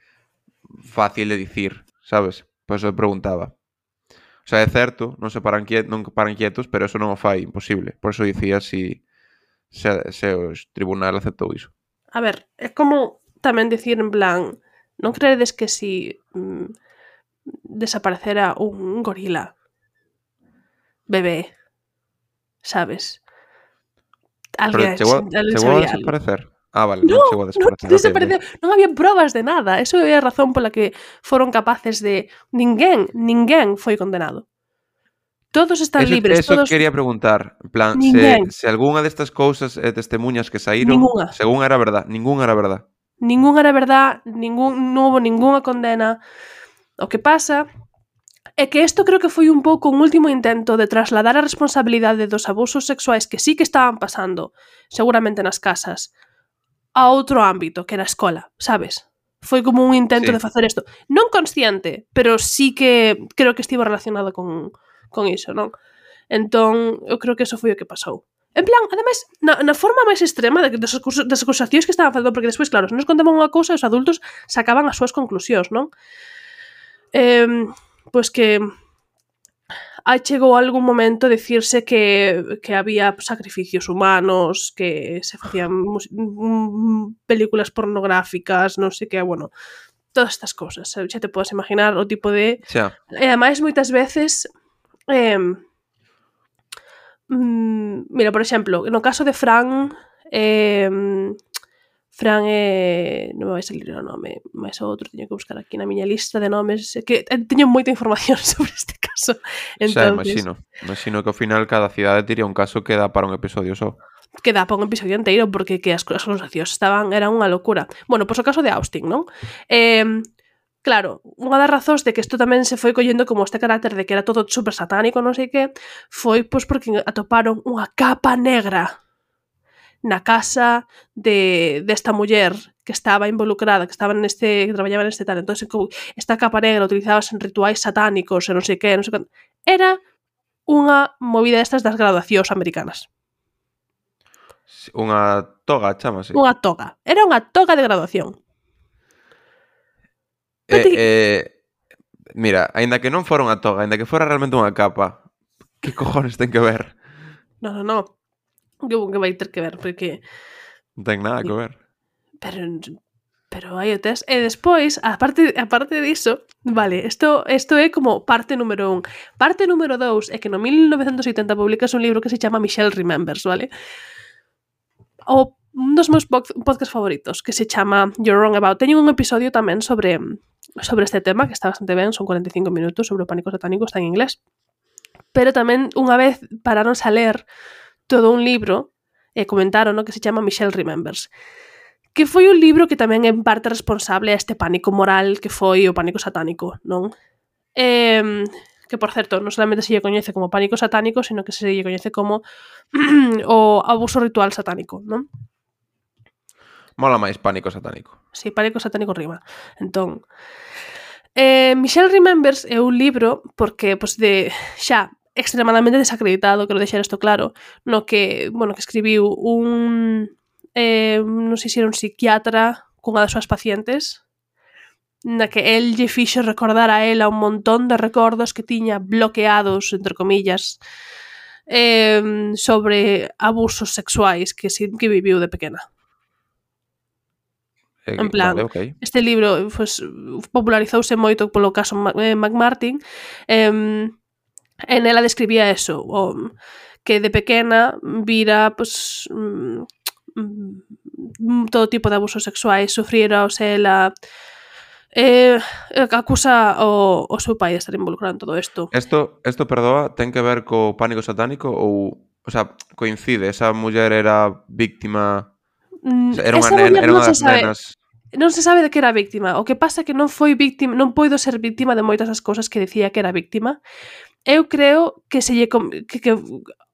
fácil de dicir, sabes? Por eso eu preguntaba. O sea, é certo, non paran quietos, pero eso non o fai imposible. Por eso dicía se o tribunal aceptou iso. A ver, é como tamén dicir en plan, non creedes que si desaparecera un gorila bebé, sabes? Pero chegou a desaparecer? Vale, non chegou a desaparecer. Non había probas de nada. Eso é a razón pola que foron capaces de... Ninguén foi condenado. Todos están libres. Eso quería preguntar. En plan, se algunha destas cousas e testemunhas que saíron, según era verdad, ningún era verdad. Ningún era verdad, non houve ningunha condena. O que pasa é que isto creo que foi un pouco un último intento de trasladar a responsabilidade dos abusos sexuais que sí que estaban pasando, seguramente nas casas, a outro ámbito, que era a escola, sabes? Foi como un intento de facer isto. Non consciente, pero sí que creo que estivo relacionado con iso, non? Entón, eu creo que eso foi o que pasou. En plan, ademais, na forma máis extrema das acusacións que estaban facendo, porque despois, claro, se nos contaban unha cousa, os adultos sacaban as súas conclusións, non? Pois que chegou algún momento decirse que había sacrificios humanos, que se facían películas pornográficas, non sei que, bueno, todas estas cousas. Xa te podes imaginar o tipo de... E ademais, moitas veces... mira, por exemplo, no caso de Fran non me vai salir o nome, máis o outro teño que buscar aquí na miña lista de nomes, que teño moita información sobre este caso. Entonces, imagino que ao final cada cidade tiría un caso que dá para un episodio só. Que dá para un episodio inteiro, porque que as acusacións eran unha locura. Bueno, pois o caso de Austin, non? Claro, unha das razóns de que isto tamén se foi collendo como este carácter de que era todo super satánico, non sei que, foi pois porque atoparon unha capa negra na casa desta muller que estaba involucrada, que traballaba neste tal. Entón, esta capa negra utilizábase en rituais satánicos e non sei que, non sei que. Era unha movida destas das graduacións americanas. Unha toga, chámase. Unha toga. Era unha toga de graduación. Mira, aínda que non fora unha toga, aínda que fora realmente unha capa, que cojones ten que ver? No. Que vai ter que ver, porque... Non ten nada que ver. Pero hai o test. E despois, aparte diso, vale, isto é como parte número 1. Parte número 2 é que no 1980 publicas un libro que se chama Michelle Remembers, vale? Un dos meus podcast favoritos, que se chama You're Wrong About. Teño un episodio tamén sobre este tema, que está bastante ben, son 45 minutos, sobre o pánico satánico, está en inglés. pero tamén unha vez pararonse a ler todo un libro e comentaron, no, que se chama Michelle Remembers, que foi un libro que tamén é en parte responsable a este pánico moral que foi o pánico satánico, non? Que, por certo, non solamente se lle coñece como pánico satánico, sino que se lle coñece como o abuso ritual satánico, non? Mola máis pánico satánico. Sí, pánico satánico rima. Entón, Michelle Remembers é un libro porque, pois, de xa extremadamente desacreditado, quero deixar isto claro, no que, bueno, que escribiu un non sei se era un psiquiatra cunha das súas pacientes, na que el lle fixo recordar a ela un montón de recordos que tiña bloqueados, entre comillas, sobre abusos sexuais que viviu de pequena. En plan, vale, okay. Este libro pues, popularizouse moito polo caso McMartin. En ela describía eso, que de pequena vira pues, todo tipo de abusos sexuais, sufriera, o sea, ela acusa o seu pai de estar involucrado en todo isto. Esto, perdoa, ten que ver co pánico satánico ou sea, coincide, esa muller era víctima, era unha das nenas. Non se sabe de que era víctima. O que pasa é que non foi víctima, non poido ser víctima de moitas das cousas que decía que era víctima. Eu creo que se lle que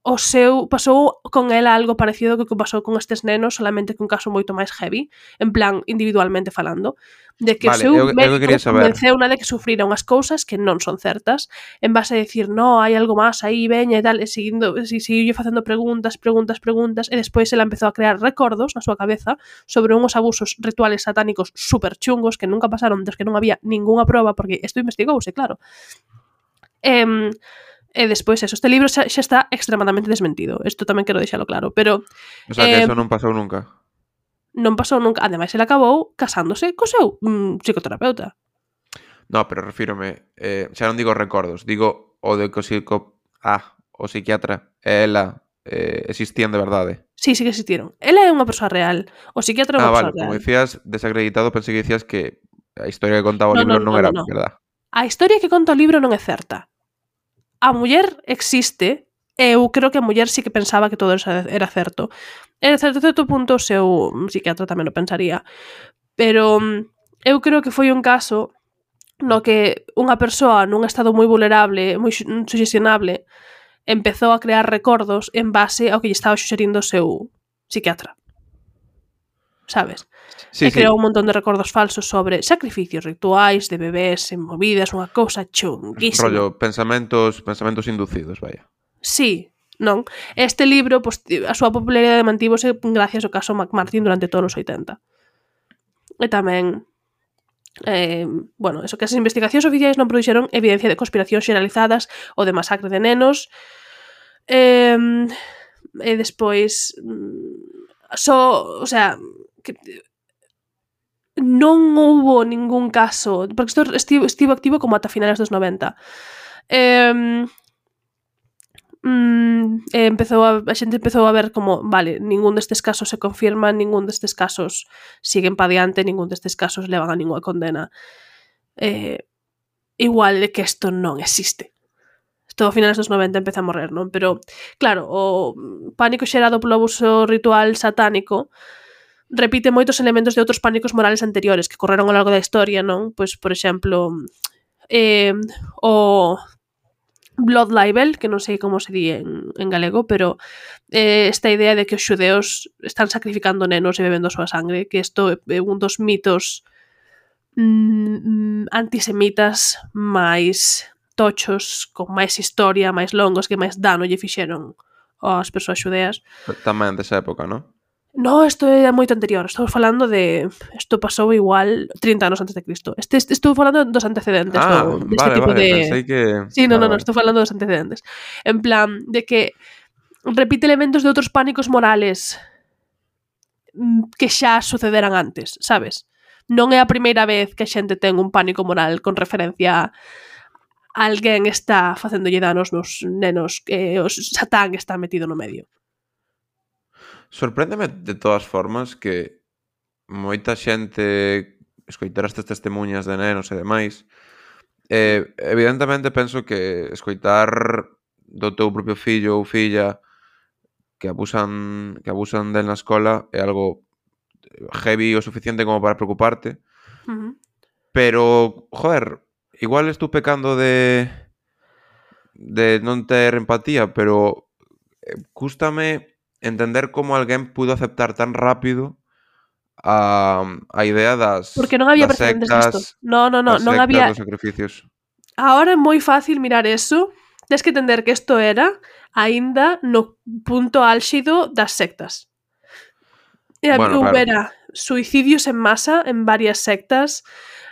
o seu pasou con ela algo parecido que pasou con estes nenos, solamente que un caso moito máis heavy, en plan individualmente falando, de que vale, o seu médico convenceu unha de que sufrira unhas cousas que non son certas, en base a decir, no, hai algo máis aí, veña e tal, e seguiu facendo preguntas, e despois ela empezou a crear recordos na súa cabeza sobre unhos abusos rituales satánicos super chungos que nunca pasaron, des que non había ningunha proba, porque isto investigouse, claro. E despois eso, este libro xa está extremadamente desmentido. Isto tamén quero deixalo claro, pero o sea, que eso non pasou nunca. Non pasou nunca. Ademais, ele acabou casándose co seu psicoterapeuta. No, pero refírome, xa non digo recordos, digo o de que o psiquiatra e ela existían de verdade. Sí, sí que existieron. Ela é unha persoa real. O psiquiatra é unha persoa real. Como dicías, desacreditado, pensei que dicías que a historia que contaba o libro non era verdad. A historia que conta o libro non é certa. A muller existe, e eu creo que a muller sí que pensaba que todo eso era certo. E a certo punto o seu psiquiatra tamén o pensaría. Pero eu creo que foi un caso no que unha persoa nun estado moi vulnerable, moi sugestionable, empezou a crear recordos en base ao que lle estaba suxerindo o seu psiquiatra. Sabes? Sí, e creou un montón de recordos falsos sobre sacrificios rituais de bebés en movidas, unha cousa chunguísima. Rollo, pensamentos inducidos, vaya. Sí, non? Este libro, pues, a súa popularidade mantívose gracias ao caso McMartin durante todos os 80. E tamén bueno, eso que as investigacións oficiais non produxeron evidencia de conspiracións xeralizadas ou de masacre de nenos. E despois o sea, que non houbo ningún caso, porque isto estivo activo como ata finales dos 90. A xente empezou a ver como, vale, ningún destes casos se confirma, ningún destes casos siguen pa diante, ningún destes casos levan a ninguna condena. Igual é que isto non existe. Isto a finales dos 90 empeza a morrer, non? Pero, claro, o pánico xerado polo abuso ritual satánico repite moitos elementos de outros pánicos morales anteriores que correron ao largo da historia, non? Pois, por exemplo, o blood libel, que non sei como se di en galego, pero esta idea de que os xudeos están sacrificando nenos e bebendo a súa sangre, que isto é un dos mitos antisemitas máis tochos, con máis historia, máis longos, que máis dano lle fixeron ás persoas xudeas. Tamén desa época, non? No, isto é moito anterior. Estou falando de... Isto pasou igual 30 anos antes de Cristo. Estou falando dos antecedentes deste tipo de... Pensei que... Sí, no, estou falando dos antecedentes. En plan, de que repite elementos de outros pánicos morales que xa sucederan antes, sabes? Non é a primeira vez que a xente ten un pánico moral con referencia a alguén está facéndolle danos nos nenos que o Satán está metido no medio. Sorpréndeme de todas formas que moita xente escoitar estas testemunhas de nenos e demais, evidentemente penso que escoitar do teu propio fillo ou filla que abusan del na escola é algo heavy o suficiente como para preocuparte. Pero, joder, igual estou pecando de non ter empatía, pero cústame entender como alguén pudo aceptar tan rápido a idea Porque non había das precedentes disto. sectas, Non das había. dos sacrificios. Ahora é moi fácil mirar eso. Tens que entender que isto era aínda no punto álxido das sectas. Bueno, Houbera suicidios en masa en varias sectas,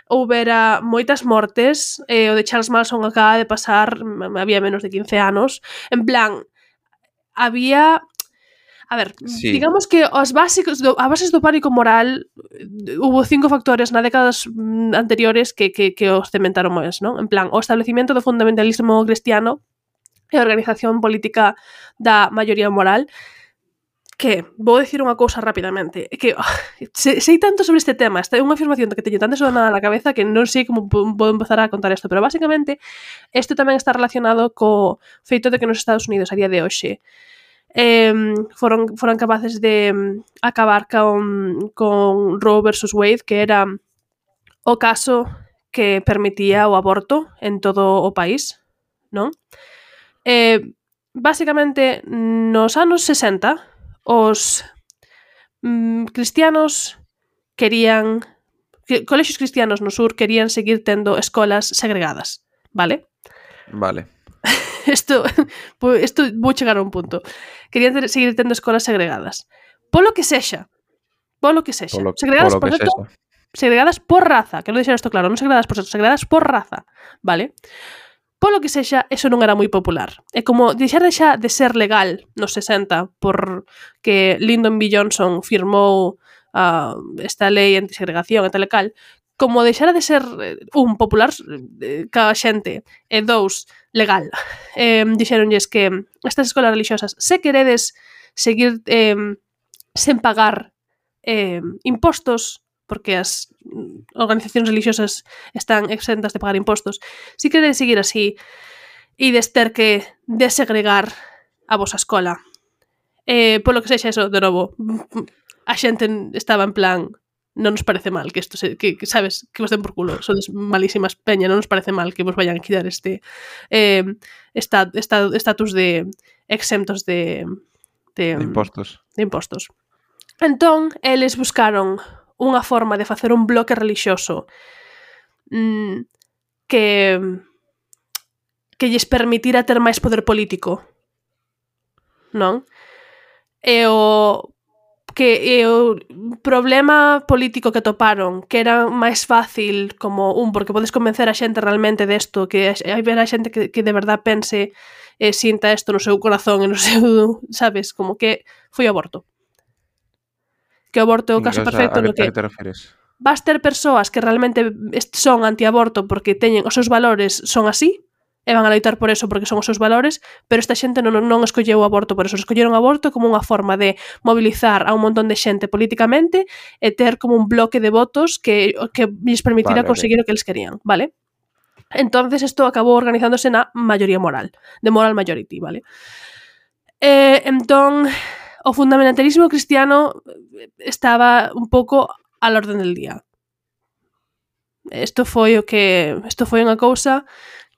houbera moitas mortes, o de Charles Manson acaba de pasar, había menos de 15 anos, en plan, había... A ver, sí. Digamos que as bases do pánico moral hubo 5 factores na décadas anteriores que os cementaron máis, non? En plan, o establecimiento do fundamentalismo cristiano e a organización política da maioría moral, que vou dicir unha cousa rapidamente, que sei tanto sobre este tema, esta é unha afirmación que teño tan desonada na cabeza que non sei como podo empezar a contar isto, pero basicamente isto tamén está relacionado co feito de que nos Estados Unidos a día de hoxe foron capaces de acabar con Roe versus Wade, que era o caso que permitía o aborto en todo o país, non? Basicamente, nos anos 60, os cristianos querían... Colexios cristianos no sur querían seguir tendo escolas segregadas, vale? Vale. Isto vou chegar a un punto. Querían seguir tendo escolas segregadas. Polo que sexa. Segregadas por sexo, segregadas por raza, quero deixar isto claro, non segregadas por sexo, segregadas por raza, vale? Polo que sexa, eso non era moi popular. É como deixar de ser legal nos 60 por que Lyndon B. Johnson firmou esta lei antisegregación e tal e cal, como deixara de ser popular ca xente e dous, legal. Dixeronlles que estas escolas religiosas, se queredes seguir sen pagar impostos, porque as organizacións religiosas están exentas de pagar impostos, se queredes seguir así e ter que desegregar a vosa escola, polo que sexa eso, de novo, a xente estaba en plan... non nos parece mal que isto que sabes, que vos den por culo, sodes malísimas peña, non nos parece mal que vos vayan a quitar este estatus de exentos de impostos. Entón, eles buscaron unha forma de facer un bloque relixioso que lles permitira ter máis poder político, non? E o problema político que toparon, que era máis fácil como porque podes convencer a xente realmente desto, que hai ver a xente que de verdad pense e sinta isto no seu corazón e no seu, sabes, como que foi o aborto. Que o aborto é o caso perfecto no que vas ter persoas que realmente son antiaborto porque teñen os seus valores son así, e van a loitar por eso porque son os seus valores, pero esta xente non escolleu o aborto por eso, escolleron o aborto como unha forma de mobilizar a un montón de xente políticamente e ter como un bloque de votos que lles permitira conseguir o que eles querían, vale? Entonces isto acabou organizándose na maioría moral, de moral majority, vale? Entón, o fundamentalismo cristiano estaba un pouco al orden del día. Isto foi unha cousa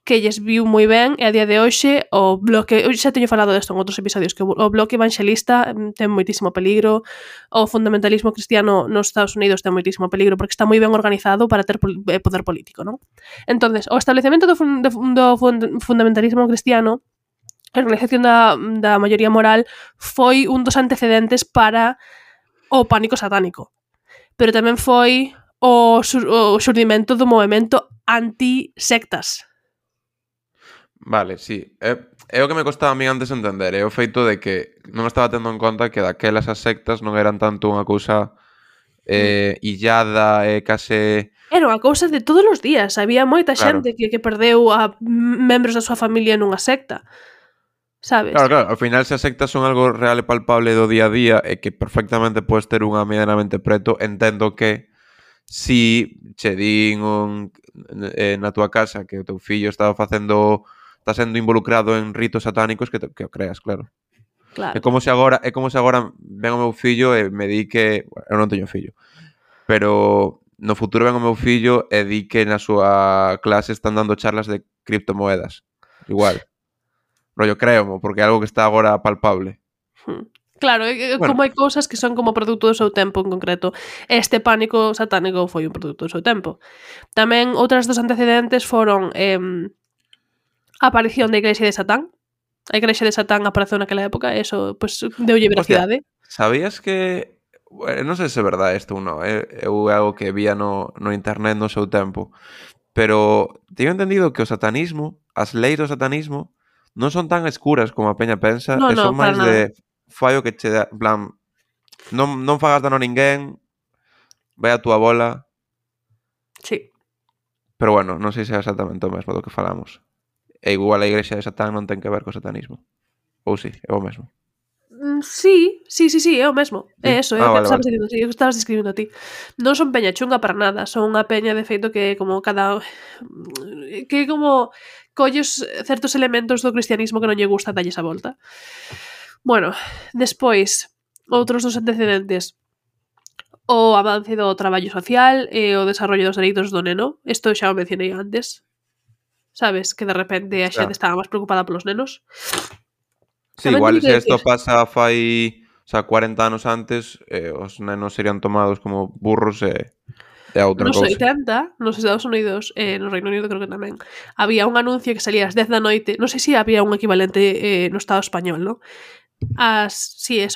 que lles viu moi ben e a día de hoxe o bloque, xa teño falado desto en outros episodios, que o bloque evangelista ten moitísimo peligro, o fundamentalismo cristiano nos Estados Unidos ten moitísimo peligro porque está moi ben organizado para ter poder político, non? Entonces, o establecemento do fundamentalismo cristiano, a organización da maioría moral, foi un dos antecedentes para o pánico satánico, pero tamén foi o xurdimento do movemento anti-sectas. Vale, sí. É o que me costaba a mí antes entender, é o feito de que non estaba tendo en conta que daquelas as sectas non eran tanto unha cousa illada e case... Era unha cousa de todos os días, había moita xente que perdeu a membros da súa familia nunha secta, sabes? Claro, ao final se as sectas son algo real e palpable do día a día e que perfectamente podes ter unha medianamente preto, entendo que si che din na túa casa que o teu fillo estaba facendo está sendo involucrado en ritos satánicos que o creas, claro. Claro. É como se agora ven o meu fillo e me di que... Bueno, eu non teño fillo. Pero no futuro ven o meu fillo e di que na súa clase están dando charlas de criptomoedas. Igual. Rollo, créomo, porque é algo que está agora palpable. Claro, Bueno. como hai cousas que son como produto do seu tempo en concreto. Este pánico satánico foi un produto do seu tempo. Tamén outras dos antecedentes foron a aparición da Igrexa de Satán. A Igrexa de Satán apareceu naquela época, e eso, pues, deulle veracidade. Sabías que... Bueno, non sei se é verdade isto ou non. É algo que vía no internet no seu tempo. Pero teño entendido que o satanismo, as leis do satanismo, non son tan escuras como a peña pensa, No, e son para máis nada. de fai o que che dá, en plan, non fagas dano a ninguén, vai a túa bola, Sí. pero bueno, non sei se é exactamente o mesmo do que falamos. E igual a Igrexa de Satán non ten que ver co satanismo. Ou sí, é o mesmo. Sí, é o mesmo. É eso, Vale, estabas vale. dicindo, sí, estabas describindo a ti. Non son peña chunga para nada, son unha peña de feito que como cada... que como colles certos elementos do cristianismo que non lle gusta dalles a volta. Bueno, despois, outros dos antecedentes. O avance do traballo social e o desarrollo dos dereitos do neno. Isto xa o mencionei antes. Sabes? Que de repente a xente estaba máis preocupada polos nenos. Sí, Tamén igual teño que se isto decir- pasa fai, o sea, 40 anos antes, os nenos serían tomados como burros e outra Nos cousa. 80, nos Estados Unidos, no Reino Unido creo que tamén, había un anuncio que salía ás 10 da noite, non sei se había un equivalente no Estado español, ¿no? Ás 10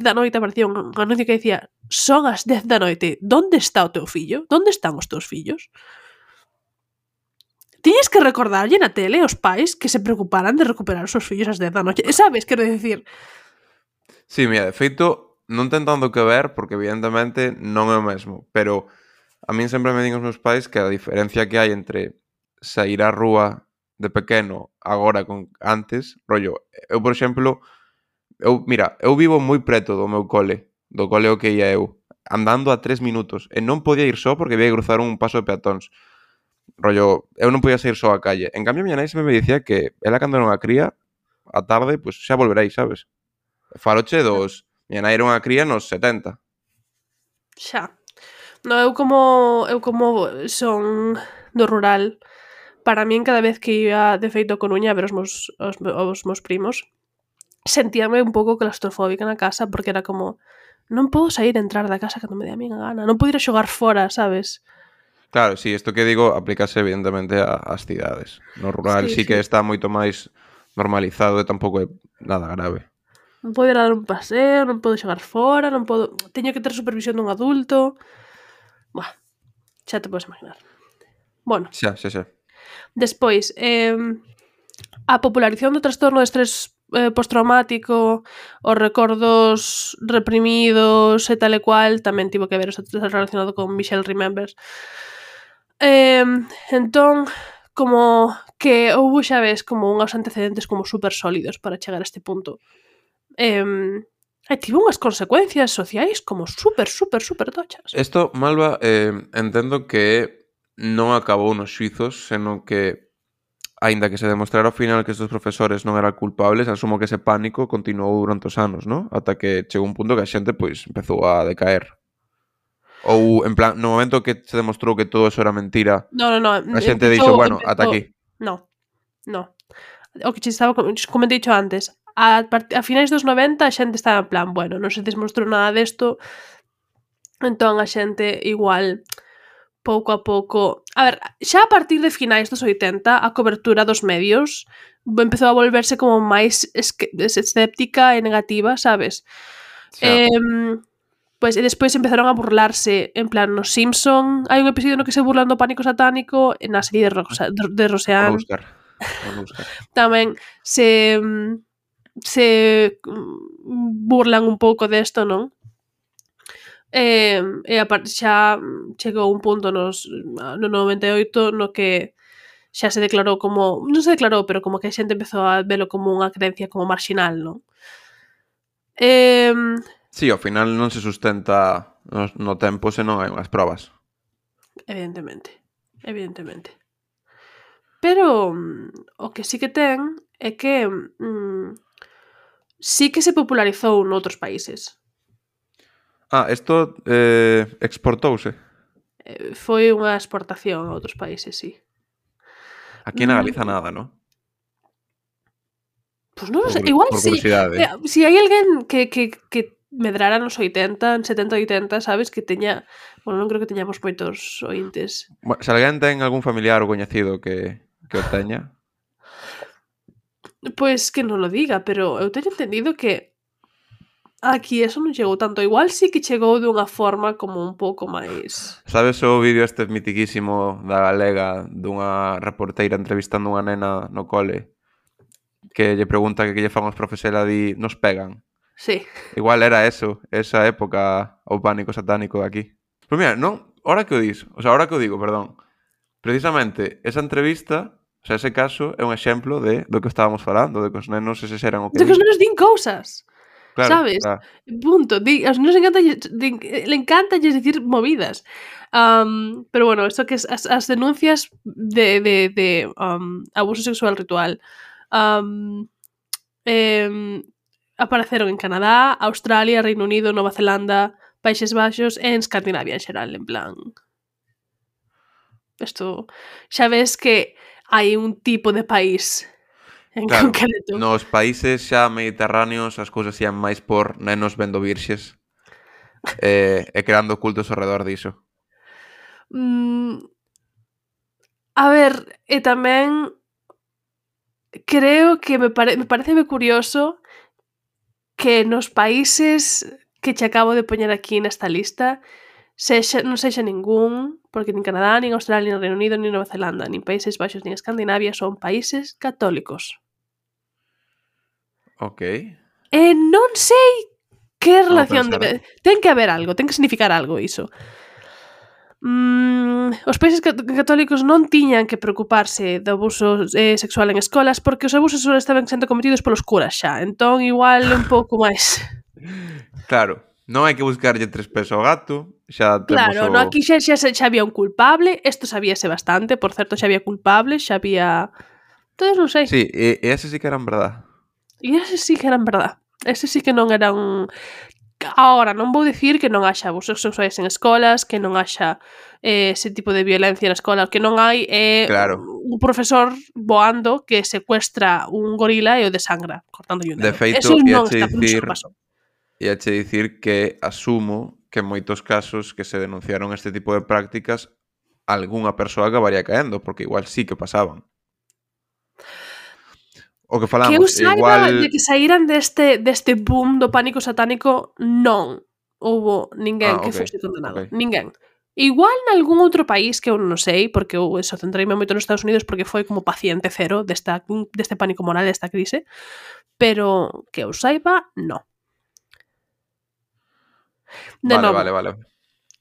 da noite aparecía un anuncio que decía: son as 10 da noite, donde está o teu fillo? Donde están os teus fillos? Tiñes que recordarlle na tele aos pais que se preocuparan de recuperar os seus fillos ás 10 da noite. Sabes, quero dicir... Sí, mira, de feito, non ten tanto que ver, porque evidentemente non é o mesmo, pero a min sempre me din os meus pais que a diferencia que hai entre sair á rúa de pequeno agora con antes, rollo, eu, por exemplo, eu vivo moi preto do meu cole, do cole ao que ia eu, andando a 3 minutos, e non podía ir só porque había que cruzar un paso de peatóns. Rollo, eu non podía sair só á calle. En cambio, a miña nai sempre me dicía que ela cando era unha cría, a tarde, pois xa volveréis, sabes? Faloche dos... Miña nai era unha cría nos 70. Xa. No, eu como son do rural, para min cada vez que iba de feito a Coruña a ver os meus primos, sentíame un pouco claustrofóbica na casa porque era como non podo sair e entrar da casa cando me dé a miña gana, non podo ir a xogar fora, sabes? Claro, sí, isto que digo aplícase evidentemente ás cidades. No rural sí que está moito máis normalizado e tampouco é nada grave. Non podo ir a dar un paseo, non podo xogar fora, non podo... Teño que ter supervisión dun adulto... Buah, xa te podes imaginar. Bueno, Xa. despois, a popularización do trastorno de estrés postraumático, os recordos reprimidos e tal e cual, tamén tivo que ver relacionado con Michelle Remembers. Entón, como que houve, xa ves, como unhos antecedentes como super sólidos para chegar a este punto. Tivo unhas consecuencias sociais como super tochas. Isto, Malva, entendo que non acabou nos xuizos, senón que, aínda que se demostrara ao final que estes profesores non eran culpables, asumo que ese pánico continuou durante os anos, ¿no? Ata que chegou un punto que a xente, pois, empezou a decaer. Ou, en plan, no momento que se demostrou que todo eso era mentira, No. a xente dixo, bueno, ata aquí. No. O que che estaba como te dicho antes, a finais dos 90 a xente estaba en plan, bueno, non se demostrou nada desto, entón a xente igual pouco a pouco... A ver, xa a partir de finais dos 80 a cobertura dos medios empezou a volverse como máis escéptica e negativa, sabes? Pois, e despois empezaron a burlarse, en plan, nos Simpson hai un episodio no que se burlan do pánico satánico, na serie de Roseanne Vou buscar. tamén se burlan un pouco desto, non? E xa chegou un punto no 98 no que xa se declarou como... Non se declarou, pero como que a xente empezou a velo como unha creencia como marxinal, non? Sí, ao final non se sustenta no tempo se non hai unhas probas. Evidentemente. Pero o que sí que ten é que sí que se popularizou noutros países. Isto exportouse. Foi unha exportación a outros países, sí. Aquí na Galiza nada, non? Pois non sei, igual Por sí. curiosidade. Si hai alguén que medrara nos 80, en 70 80, sabes, que teña... Bueno, non creo que teñamos moitos ointes. Bueno, se alguén ten algún familiar ou coñecido que o teña, Pois que non lo diga, pero eu teño entendido que aquí eso non chegou tanto. Igual sí que chegou dunha forma como un pouco máis... sabes o vídeo este mitiquísimo da galega dunha reporteira entrevistando unha nena no cole que lle pregunta que lle fan os profes e ela di, nos pegan? Sí. Igual era eso, esa época o pánico satánico aquí. Pero mira, non, ahora que o digo, perdón. Precisamente, esa entrevista, o sea, ese caso é un exemplo do que estábamos falando, de que os nenos eses eran o que De que os nenos din cousas. Claro, Sabes? claro. Punto. Aos nenos le encanta dicir movidas. Pero bueno, esto que es as denuncias de abuso sexual ritual apareceron en Canadá, Australia, Reino Unido, Nova Zelanda, Países Baixos e en Escandinavia en xeral, en plan... Isto xa ves que hai un tipo de país en Claro, concreto. nos países xa mediterráneos as cousas ían máis por nenos vendo virxes e creando cultos ao redor diso. A ver, e tamén creo que me parece curioso que nos países que che acabo de poñer aquí nesta lista non sexa ningún, porque nin Canadá, nin Australia, nin Reino Unido, nin Nova Zelanda, nin Países Baixos, nin Escandinavia son países católicos. Ok. E non sei que relación pensar, ten que haber algo, ten que significar algo iso. Os países católicos non tiñan que preocuparse do abuso sexual en escolas porque os abusos sexuales estaban sendo cometidos polos curas xa, entón igual un pouco máis. Claro, non hai que buscarlle tres pés ao gato, xa temos Claro, no, aquí xa había un culpable, isto sabíase bastante, por certo, xa había culpables, xa había... Entonces non sei. Sí, e ese sí que eran verdad. E ese sí que eran verdad. Ese sí que non eran... Ahora, non vou dicir que non haxa abusos sexuais en escolas, que non haxa ese tipo de violencia na escola, que non hai Claro. un profesor voando que secuestra un gorila e o desangra, cortando un dedo. De feito, eso non pasou. Iache dicir que asumo que en moitos casos que se denunciaron este tipo de prácticas algunha persoa acabaría caendo, porque igual sí que pasaban. O que falamos, Que eu saiba igual... de que saíran deste boom do pánico satánico, non houbo ninguén que fose condenado. Okay. Ninguén. Igual nalgún outro país que eu non sei, porque eu eso centreime moito nos Estados Unidos porque foi como paciente cero deste pánico moral, desta crise, pero que eu saiba, non. Vale.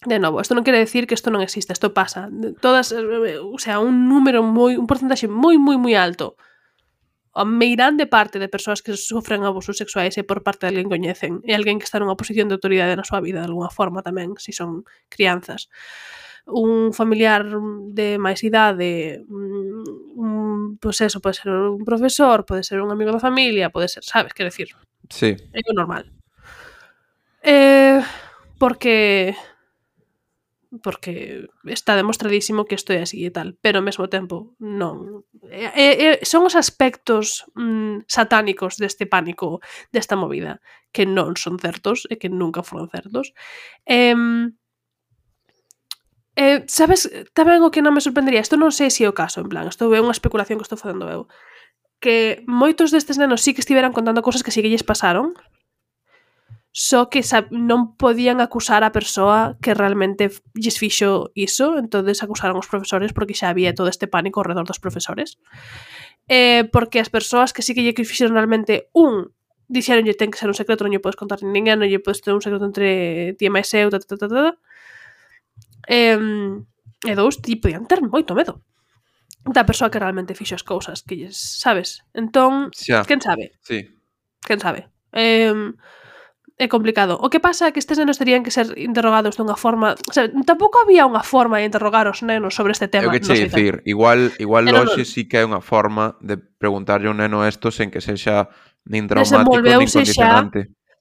De novo, isto non quere decir que isto non existe, isto pasa. Todas, o sea, un porcentaxe moi alto, a meirande parte de persoas que sofren abusos sexuais é por parte de alguén que coñecen, e alguén que está nunha posición de autoridade na súa vida de alguna forma tamén, se son crianzas. Un familiar de máis idade, pois eso, pode ser un profesor, pode ser un amigo da familia, pode ser, sabes, quero decir, Sí. é o normal. Porque está demostradísimo que isto é así e tal, pero ao mesmo tempo non. Son os aspectos satánicos deste pánico, desta movida, que non son certos e que nunca foron certos. Sabes, tamén o que non me sorprendería, isto non sei se é o caso, en plan, isto é unha especulación que estou facendo eu, que moitos destes nenos sí que estiveran contando cosas que sí que lles pasaron, só que non podían acusar a persoa que realmente lles fixo iso, entonces acusaron os profesores porque xa había todo este pánico ao redor dos profesores. Porque as persoas que sí que lle fixeron realmente, dixeronlle ten que ser un secreto, non lle podes contar ninguén, non lle podes ter un secreto entre ti e máis eu, e dous, ti podían ter moito medo da persoa que realmente fixo as cousas que lles, sabes? Entón, Xa. quen sabe? Sí. Quen sabe? é complicado. O que pasa é que estes nenos terían que ser interrogados dunha forma... O sea, tampouco había unha forma de interrogar os nenos sobre este É tema. o que che dicir, igual Pero hoxe non. sí que é unha forma de preguntarlle a un neno esto sen que sexa nin traumático nin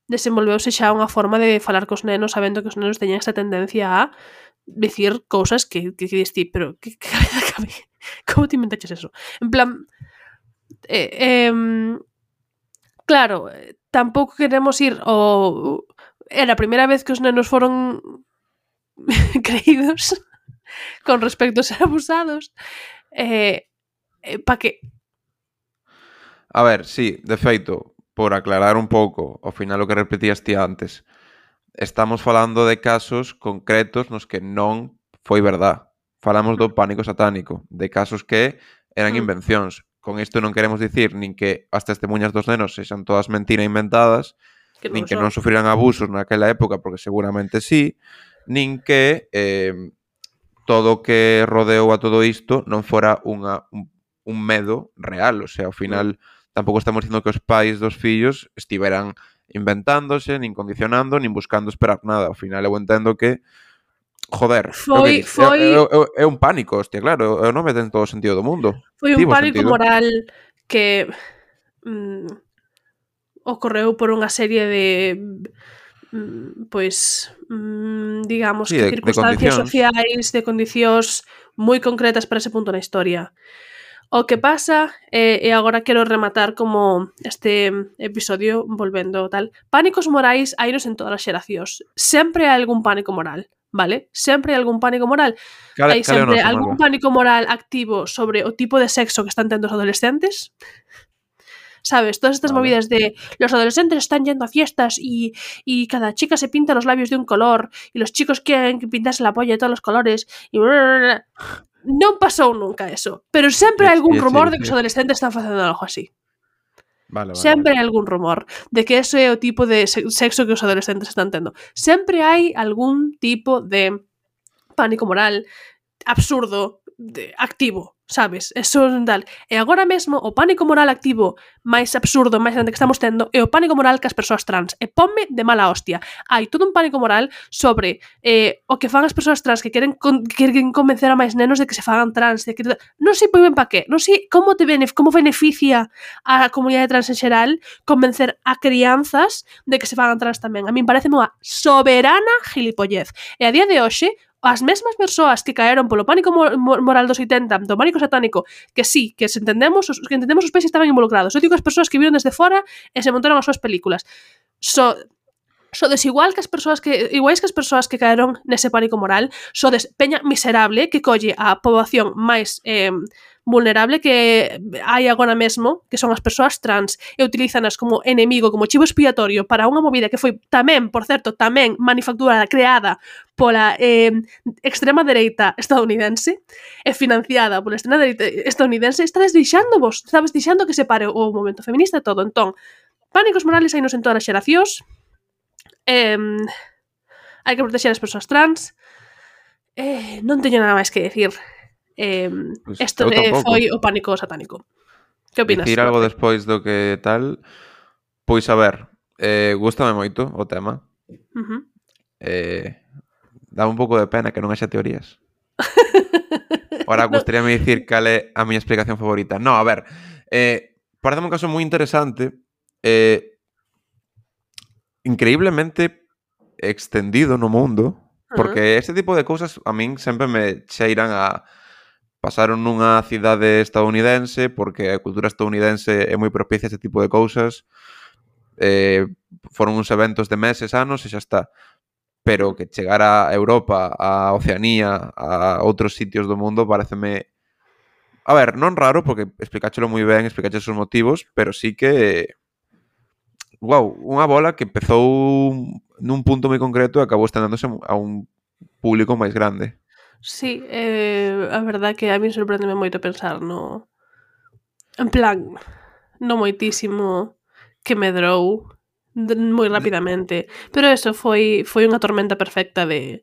Desenvolveuse xa unha forma de falar cos nenos sabendo que os nenos teñen esta tendencia a dicir cousas que dis ti, pero que cabeza cabe? Como te inventaches eso? En plan... claro, tampouco queremos ir ao... Era a primeira vez que os nenos foron creídos con respecto a ser abusados. Pa que? A ver, sí, de feito, por aclarar un pouco, ao final o que repetías ti antes, estamos falando de casos concretos nos que non foi verdad. Falamos do pánico satánico, de casos que eran invencións. Con isto non queremos dicir nin que as testemunhas dos nenos sexan todas mentira inventadas, nin que non sufriran abusos naquela época, porque seguramente sí, nin que todo o que rodeou a todo isto non fora un medo real. O sea, ao final tampouco estamos dicindo que os pais dos fillos estiveran inventándose, nin condicionando, nin buscando esperar nada. Ao final eu entendo que joder, é un pánico, hostia, claro, eu non me ten todo o sentido do mundo. Foi un pánico moral que ocorreu por unha serie de digamos sí, que circunstancias sociais, de condicións moi concretas para ese punto na historia. O que pasa, e agora quero rematar como este episodio volvendo tal, pánicos morais hainos en todas as xeracións. Sempre hai algún pánico moral, vale? Sempre hai algún pánico moral. Hai sempre algún pánico moral activo sobre o tipo de sexo que están tendo os adolescentes. ¿Sabes? Todas estas movidas de los adolescentes están yendo a fiestas y cada chica se pinta los labios de un color y los chicos quieren pintarse la polla de todos los colores y... Non pasou nunca eso, pero sempre hai algún rumor de que os adolescentes están facendo algo así. Sempre hai algún rumor de que ese é o tipo de sexo que os adolescentes están tendo. Sempre hai algún tipo de pánico moral absurdo, activo, sabes? Eso tal. E agora mesmo o pánico moral activo máis absurdo, máis grande que estamos tendo é o pánico moral que as persoas trans. E ponme de mala hostia. Hai todo un pánico moral sobre o que fan as persoas trans que queren convencer a máis nenos de que se fagan trans, de que non sei moi ben pa qué, non sei como beneficia a comunidade trans en xeral convencer a crianzas de que se fagan trans tamén. A min parece unha soberana gilipollez. E a día de hoxe as mesmas persoas que caeron polo pánico moral dos 80, do pánico satánico, que sí, que entendemos os pais que estaban involucrados. Eu digo as persoas que viron desde fora e se montaron as súas películas. Sodes iguais que as persoas que caeron nese pánico moral, sodes peña miserable que colle a poboación máis vulnerable que hai agora mesmo, que son as persoas trans, e utilízanas como enemigo, como chivo expiatorio para unha movida que foi tamén, por certo, tamén manufacturada, creada pola extrema dereita estadounidense e financiada pola extrema dereita estadounidense. Estades deixando que se pare o movimento feminista e todo. Entón, pánicos morales hainos en todas as xeracións. Hai que proteger as persoas trans. Non teño nada máis que decir. Isto foi o pánico satánico. Que opinas? Dicir algo despois do que tal? Pois a ver, gústame moito o tema. Dá un pouco de pena que non haxa teorías. Ahora, gustaríame dicir cal é a miña explicación favorita. No, a ver, parece un caso moi interesante, increíblemente extendido no mundo, porque este tipo de cousas a min sempre me cheiran a pasaron nunha cidade estadounidense, porque a cultura estadounidense é moi propicia a este tipo de cousas. Foron uns eventos de meses, anos e xa está. Pero que chegar a Europa, a Oceanía, a outros sitios do mundo pareceme... A ver, non raro, porque explicáchelo moi ben, explicaches os motivos, pero sí que... Wow, unha bola que empezou nun punto moi concreto e acabou estendéndose a un público máis grande. Sí, a verdade que a mí sorprendeme moito pensar no... En plan, no moitísimo que medrou moi rapidamente. Pero eso foi unha tormenta perfecta de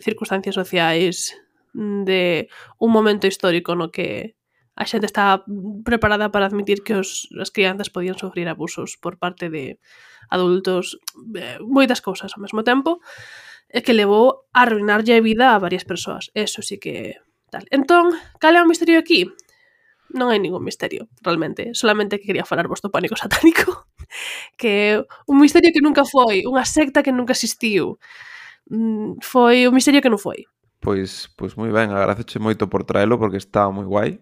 circunstancias sociais, de un momento histórico no que a xente está preparada para admitir que as crianzas podían sufrir abusos por parte de adultos, moitas cousas ao mesmo tempo, e que levou a arruinarlle a vida a varias persoas. Eso sí que tal. Entón, cal é o misterio aquí? Non hai ningún misterio, realmente. Solamente que quería falar vos do pánico satánico, que é un misterio que nunca foi, unha secta que nunca existiu. Foi un misterio que non foi. Pois moi ben, agradezoche moito por traelo porque está moi guai.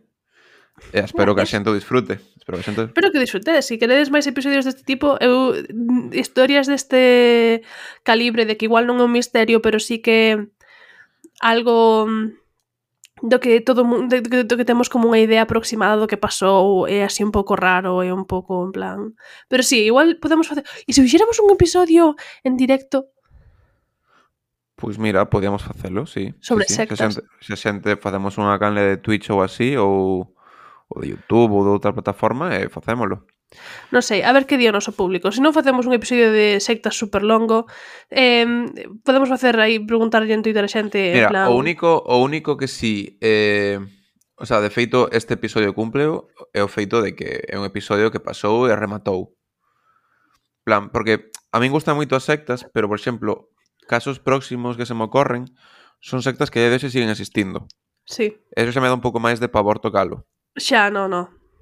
E espero que a xente o disfrute. Espero que disfrutedes. Se queredes máis episodios deste tipo, historias deste calibre, de que igual non é un misterio, pero sí que algo do que todo mundo, do que temos como unha idea aproximada do que pasou, é así un pouco raro, é un pouco en plan... Pero sí, igual podemos facer... E se fixéramos un episodio en directo? Pois mira, podíamos facelo, sí. Sobre sí. sectas. Se a xente facemos unha canle de Twitch ou así, ou de YouTube ou de outra plataforma, e facémolo. Non sei, a ver que di o noso público. Se non facemos un episodio de sectas super longo, podemos facer aí, preguntarlle en Twitter a xente, Mira, en plan... o único que sí, o sea, de feito, este episodio cumpleo é o feito de que é un episodio que pasou e rematou. Plan, porque a min gustan moito as sectas, pero, por exemplo, casos próximos que se me ocorren son sectas que a día de hoxe siguen existindo. Sí. Eso xa me dá un pouco máis de pavor tocalo. Xa, no.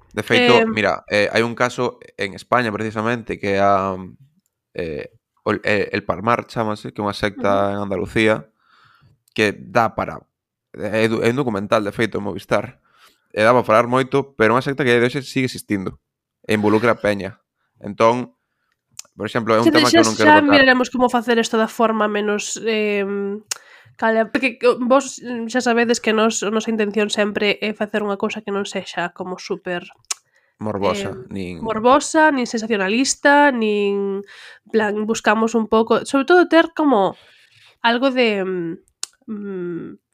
De feito, mira, hai un caso en España, precisamente, que é el Palmar, chámase, que é unha secta en Andalucía, que dá para... É un documental, de feito, en Movistar. E dá para falar moito, pero é unha secta que de hoxe sigue existindo. E involucra a peña. Entón, por exemplo, é un tema que eu non quero Xa tocar. miraremos como facer isto da forma menos... porque vos xa sabedes que a nosa intención sempre é facer unha cousa que non sexa como super... Morbosa, nin sensacionalista, nin... plan, buscamos un pouco... Sobre todo ter como algo de...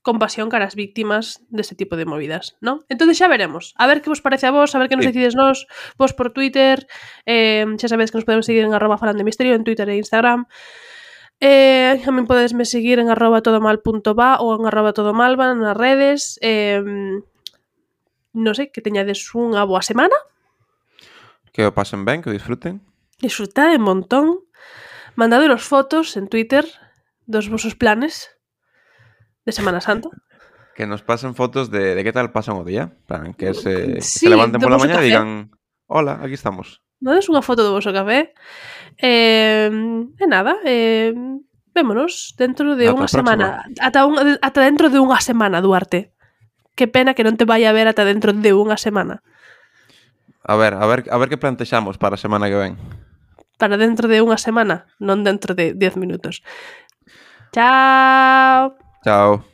compasión cara as víctimas deste tipo de movidas, ¿no? Entonces xa veremos. A ver que vos parece a vos, a ver que nos decides vos por Twitter. Xa sabedes que nos podemos seguir en @falandemisterio en Twitter e Instagram. Tamén podesme seguir en @todomal.va ou en @todomalva nas redes. Non sei, que teñades unha boa semana. Que o pasen ben, que o disfruten. Disfrutade un montón. Mandaderos fotos en Twitter dos vosos planes de Semana Santa. Que nos pasen fotos de que tal pasan o día. Plan, que se levanten do pola voso mañá café. e digan: hola, aquí estamos. Dades unha foto do voso café. E nada, vémonos dentro de unha semana. Ata dentro de unha semana, Duarte. Que pena que non te vai a ver ata dentro de unha semana. A ver que plantexamos para a semana que ven. Para dentro de unha semana, non dentro de 10 minutos. Chao. Chao.